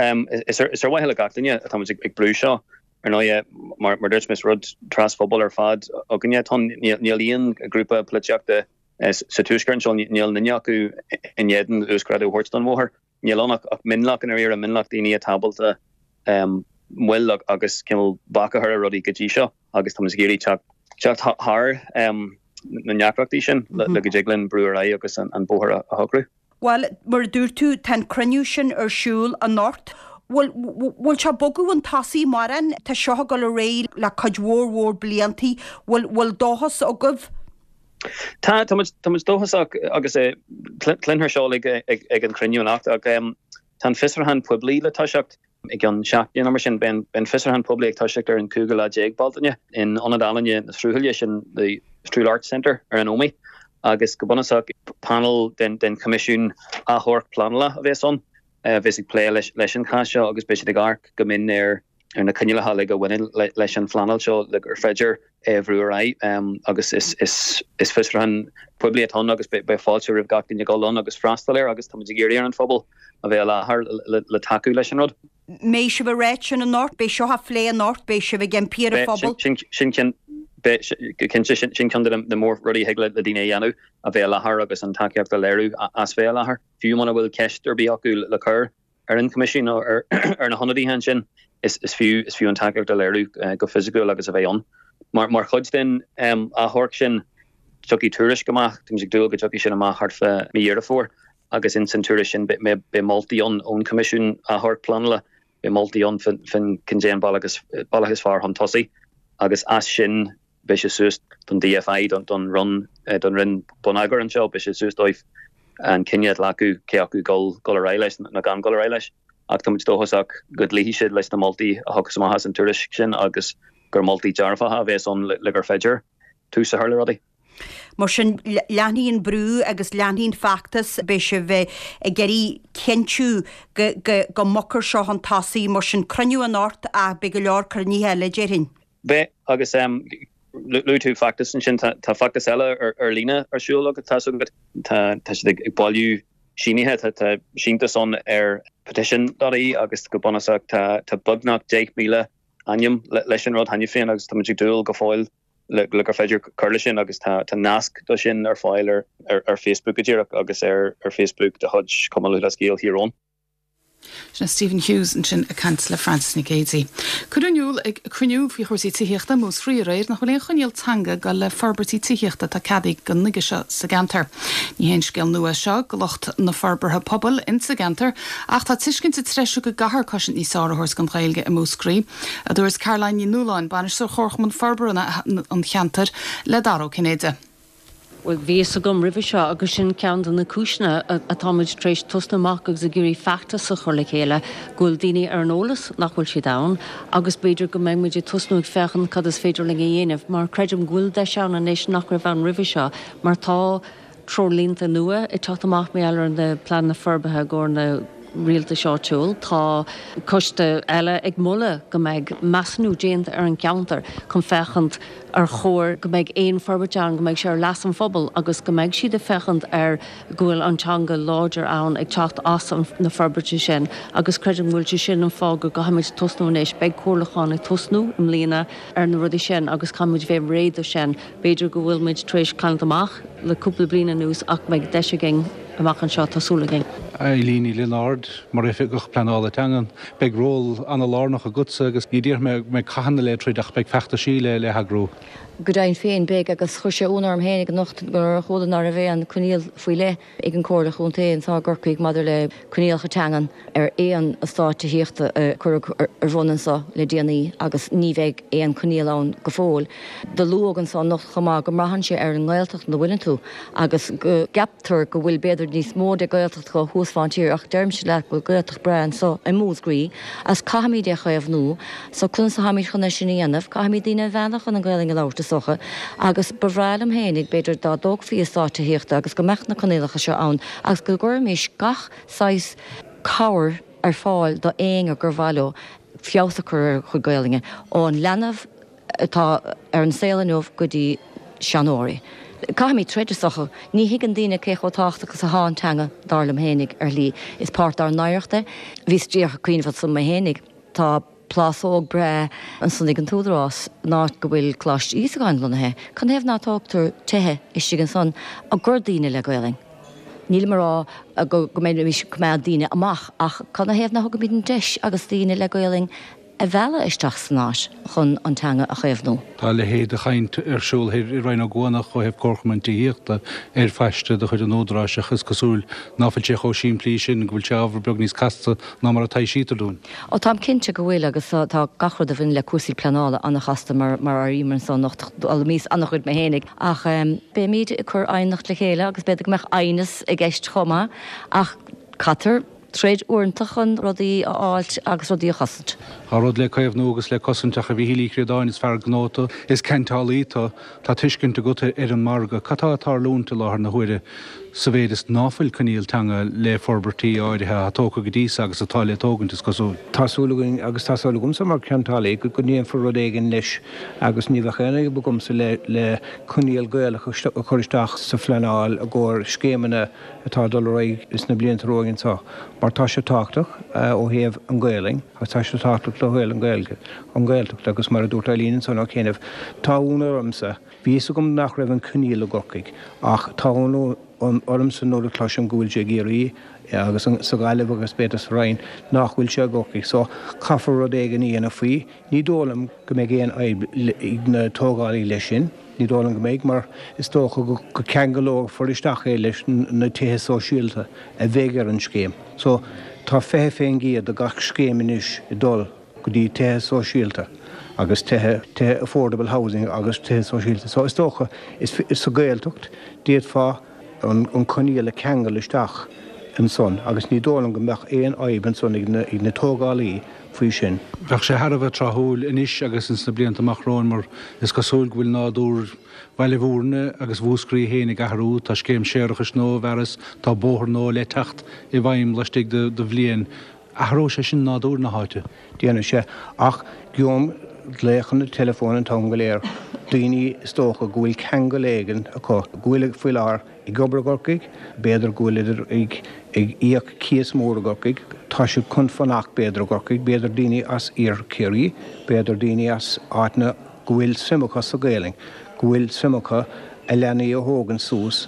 Is ar mhaithe le gach duine atá muid ag brú seo. Ar ndóighe, mar a dúirt mé, is rud trasphobail ar fad againne atá ann. Níl aon ghrúpa polaitíochta sa Tuaisceart anseo, níl aon duine acu in éadan uasghrádú a thabhairt don bhóthar. Níl ann ach mionlach i ndáiríre, mionlach daoine atá ábalta moill agus cineál bac a chur ar rudaí go dtí seo agus tá muid ag iarraidh teacht thar na ndeacrachtaí sin le go dtig linn brú ar aghaidh agus an bóthar a shocrú. Bhuel, mar a dúirt tú, tá an cruinniú sin ar siúl anocht. Bhfuil, bhfuil sé ag bogadh chun tosaigh mórán? Tá seo ag dul ar aghaidh le cuid mhór mhór bliantaí. Bhfuil, bhfuil dóchas agaibh? Tá, tá muid, tá muid dóchasach agus cluinfear seo uilig ag an chruinniú anocht ach tá an fiosrúchán poiblí le toiseacht i gceann seachtaine nó mar sin. Beidh an fiosrúchán poiblí ag toiseacht ar an cúigiú lá déag Bealtaine in Ionad Ealaíne na Sruthaile, sin the Strule Arts Centre ar an Ómaigh agus go bunúsach panel den Choimisiún Achomhairc Pleanála a bheas ann a bheas ag plé leis an chás seo agus beidh siad ag amharc go mion ar ar na coinníollacha uilig a bhaineann leis an phleanáil seo le gur féidir é a bhrú ar aghaidh agus is fiosrúchán poiblí atá ann agus beidh fáilte roimh gach duine dul ann agus freastal air agus táimid ag iarraidh ar an phobal a bheith i láthair le tacú leis an rud. Mbeidh sibh ag ráit sin anocht, beidh seo á phlé anocht, beidh sibh ag impí ar an phobal. Sin cinnte, sin ceann de na mór rudaí a thig le daoine a dhéanamh, a bheith i láthair agus an tacaíocht a léiriú as bheith i láthair. Fiú muna bhfuil ceist ar bith acu le cur, ar an Choimisiún nó ar na hionadaithe ansin, is fiú is fiú an tacaíocht a léiriú go fisiciúil agus a bheith ann. Mar mar chuid den achomharc sin, tiocfaidh tuairisc amach, táimid ag dúil go dtiocfaidh sin amach thart fá mí Dheireadh Fómhair, agus ins an tuairisc sin beidh beidh moltaí ann ón Choimisiún Achomhairc Pleanála, beidh moltaí ann faoin cad é an bealach is bealach is fearr chun tosaigh agus as sin Beidh sé suas don DFI, don Roinn, don Roinn Bonneagair anseo, beidh sé suas dóibh an cinneadh a ghlacadh cé acu dul ar aghaidh leis nó gan dul ar aghaidh leis. Ach tá muid dóchasach go gcloífidh siad leis na moltaí a thiocfas amach as an tuairisc sin agus gur moltaí dearfacha a bheas ann le gur féidir tús a chur le rudaí. Mar sin, leanfaidh an brú agus leanfaidh an feachtas, beidh sibh ag iarraidh cinntiú go, go, go mbogfar seo chun tosaigh, mar sin cruinniú anocht ach beidh go leor cruinnithe eile, déarfainn. Beidh, agus luaigh tú feachtas ansin, tá feachtas eile ar líne ar siúl agat, tá's agat, tá siad ag bailiú sínithe, tá síntiús ann ar petition dot ie agus go bunúsach tá beagnach 10,000 ainm leis an rud cheana féin agus tá muid ag dúil go fóill le gur féidir cur leis sin agus tá nasc do sin ar fáil ar Facebook go díreach agus ar Facebook de chuid Chumann Lúthchleas Gael Thír Eoghain. Sin é Stephen Hughes ansin ag caint le Frances Nic Géadaigh. Cuireadh in iúl ag cruinniú faoi chúrsaí tithíochta i Múscraí aréir nach bhfuil aon choinníoll teanga ag dul le forbairtí tithíochta atá ceadaithe go nuige seo sa gceantar. Ní haon scéal nua é seo go lucht na forbartha pobail insa gceantar ach tá tuiscint ag treisiú go gcaithfear cosaint níos fearr a thabhairt don Ghaeilge i Múscraí, a dúirt Caroline Ní Nualláin, Bainisteoir Chomharchumann Forbartha an cheantair, le Dara Ó Cinnéide. Bhuel, bhí fhios agam roimhe seo agus sin ceann de na cúiseanna atáimid tar éis tosnú amach agus ag iarraidh feachtas a chur le chéile, go bhfuil daoine ar an eolas nach bhfuil siad ann agus b'fhéidir go mbeidh muid ag tosnú ag féachaint cad is féidir linn a dhéanamh mar creidim go bhfuil deis ann anois nach raibh ann roimhe seo mar tá treoirlínte nua ag teacht amach mar gheall ar na pleananna forbartha i gcomhair na rialtais áitiúil. Tá coiste eile ag moladh go mbeidh measúnú déanta ar an gceantar chun féachaint ar chóir go mbeidh aon forbairt ann, go mbeidh sé ar leas an phobail agus go mbeidh siad ag féachaint ar go bhfuil an teanga láidir ann ag teacht as na forbairtí sin agus creidim go bhfuil sé sin an fáth go gcaithfimid tosnú anois. Beidh comhairliúchán ag tosnú i mbliana ar na rudaí sin agus caithfimid bheith réidh do sin. B'fhéidir go bhfuil muid tar éis cailliúint amach le cúpla bliain anuas ach beidh deis againn amach anseo, tá súil againn. Eileen Ní Lionáird, Mar Oifigeach Pleanála Teangan, beidh ról an-lárnach agatsa agus ní déarfaidh mé go mbeidh cathanna le troid ach beidh feachtaisí le heagrú. Go deimhin féin, beidh agus chuir sé ionadh orm féinig anocht nuair a chuala ná raibh aon coinníoll faoi leith ag an Comhairle Chontae anseo i gCorcaigh maidir le coinníollacha teangan ar aon eastát tithíochta a cuireadh ar bun anseo le déanaí agus ní bheidh aon choinníoll ann go fóill. Do luadh anseo anocht chomh maith go mbraitheann sé ar an nGaeltacht ina bhfuileann tú agus go gceaptar go bhfuil b'fhéidir níos mó de Ghaeltachtacha thuas fán tír ach deirimse leat go bhfuil Gaeltacht breá anseo i Múscraí agus caithfimid é a chaomhnú so conas atáimid chun é sin a dhéanamh? Caithfimid daoine a mhealladh chun an Ghaelainn a labhairt is dócha agus ba bhreá liom féinig b'fhéidir dá dtógfaí eastát tithíochta agus go mbeadh na coinníollacha seo ann agus go gcuirfimis gach saghas cabhair ar fáil do éinne gur mhaith leo feabhas a chur ar a chuid Gaelainne, ón leanbh atá ar an saol inniu go dtí seanóirí. Caithfimid troid is dócha. Ní thuigeann daoine cé chomh tábhachtach is atá an teanga, dar liom fhéinig, ar shlí. Is páirt dár n-oidhreacht é. Bhíos díreach ag cuimhneamh ansan mé fhéinig. Tá plásóg breá ansan ag an t-údarás, an áit go bhfuil Coláiste Íosagáin lonnaithe. Cad 'na thaobh ná tógtar tithe istigh ansan i gcomhair daoine le Gaelainn? Nílim a rá go mbeimis ag coimeád daoine amach ach cad 'na thaobh ná thugaimid an deis agus daoine le Gaelainn a mhealladh isteach san áit chun an teanga a chaomhnú. Tá a leithéid de chaint ar siúl thoir i Rinn Ó gCuanach ó thaobh comharchumann tithíochta ar phaiste de chuid an Údaráis ach is cosúil ná fuil sé chomh simplí sin, go bhfuil sé ábhar beag níos casta ná mar a taibhsítear dúinn. Ó táim cinnte go bhfuil agus tá gach rud a bhaineann le cúrsaí pleanála an-chasta mar mar a airíomar anso anocht. D'fhoghlaimíos an-chuid mé fhéinig ach beimid ag cur aighneacht le chéile agus b'fhéidir go mbeadh aighneas i gceist chomh maith ach caitear troid uaireanta chun rudaí a fháilt agus rudaí a chosaint. Tá rud le caomhnú agus le cosaint ach a Mhíchíl Uí Chríodáin is fear gnó tú, is ceantálaí tú, tá tuiscint agat ar an margadh. Cad tá ag tarlúint i láthair na huaire sa mhéid is ná fuil coinníoll teanga le forbairtí áirithe atá tógtha go dtí so agus atá le tógaint, is cosúil? Tá súil againn agus tá súil agamsa mar cheantálaí go ndéanfar rud éigin leis agus ní bheadh aon fhadhb agamsa le coinníoll Gaelach a chur isteach sa phleanáil i gcomhair scéimeanna atá ag dul ar aghaidh sna blianta romhainn anseo mar tá sé tábhachtach ó thaobh an Ghaelainn agus tá sé tábhachtach ó thaobh an Ghaeilge, an Ghaeltacht agus mar a dúirt Eileen ansan ó chianaibh, tá ionadh ormsa, bhí fhios agam nach raibh an coinníoll i gCorcaigh ach tá ionadh ormsa nuair a chloisim go bhfuil sé i gCiarraí agus sa Ghaillimh agus b'fhéidir sa Rinn nach bhfuil sé i gCorcaigh so caithfear rud éigin a dhéanamh faoi. Ní dóigh liom go mbeidh aon fhadhb ag na tógálaí leis sin, ní dóigh liom go mbeidh, mar is dócha go ceangalófar isteach é leis na tithe sóisialta a bheidh ar an scéim. So, tá 20% de gach scéim anois ag dul go dtí tithe sóisialta agus tithe, tithe affordable housing agus tithe sóisialta. So, is dócha, is, sa Ghaeltacht, d'fhéadfá an coinníoll a cheangal isteach ansan agus ní dóigh liom go mbeadh aon fhadhb ansan ag na tógálaí. faoi sin. Bheadh sé thar a bheith tráthúil anois agus ins na blianta amach romhainn mar is cosúil go bhfuil nádúr Bhaile Bhúirne agus Mhúscraí féin ag athrú, tá scéim séarachais nua á bhfearas, tá bóthar nua le teacht i bhfeidhm laistigh de bhliain. Athróidh sé sin nádúr na háite. Déanfaidh sé. Ach gheobhaim glaochanna teileafóin an t-am go léir, daoine is dócha go bhfuil ceangal éigin acu, go bhfuil faoi láthair ag obair i gCorcaigh, b'fhéidir go bhfuil ag íoc cíos mór i gCorcaigh, tá siad chun fanacht b'fhéidir i gCorcaigh, b'fhéidir daoine as iarthar Chiarraí, b'fhéidir daoine as áiteanna go bhfuil suim acu sa Ghaelainn, go bhfuil suim acu a leanaí a thógaint suas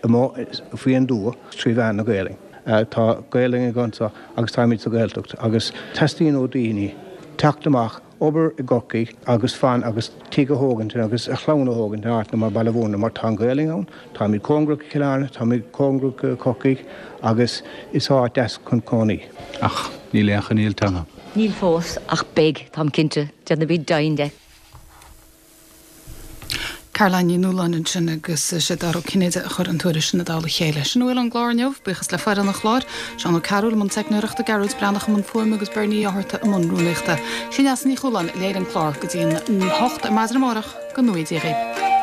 amuigh faoin dtuath trí mheán na Gaelainne. Tá Gaelainn againn anseo agus táimid sa Ghaeltacht agus teastaíonn ó daoine teacht amach, obair i gCorcaigh agus fan agus tigh a thógaint agus a chlann a thógaint in áiteanna mar Baile Bhúirne mar tá an Ghaelainn ann, táimid cóngarach go Cill Airne, táimid cóngarach go Corcaigh agus is áit deas chun cónaí. Ach níl aon choinníoll teanga. Níl fós, ach beidh, táim cinnte. Déanfaimid deimhin de. Caroline Ní Nualláin ansin agus is é Dara Ó Cinnéide a chuir an tuairisc sin i dtoll a chéile. Sin a bhfuil ón gclár inniu. Buíochas le foireann an chláir, Seán Ó Cearúil i mbun teicneoireachta, Gearóid Breathnach i mbun fuaime agus Bernie Ó hÁrta i mbun rúnaíochta. Sí Neasa Ní Chualáin a léirigh an clár go dtí an 8 ar maidin amárach. Go ngnóthaí Dia dhaoibh.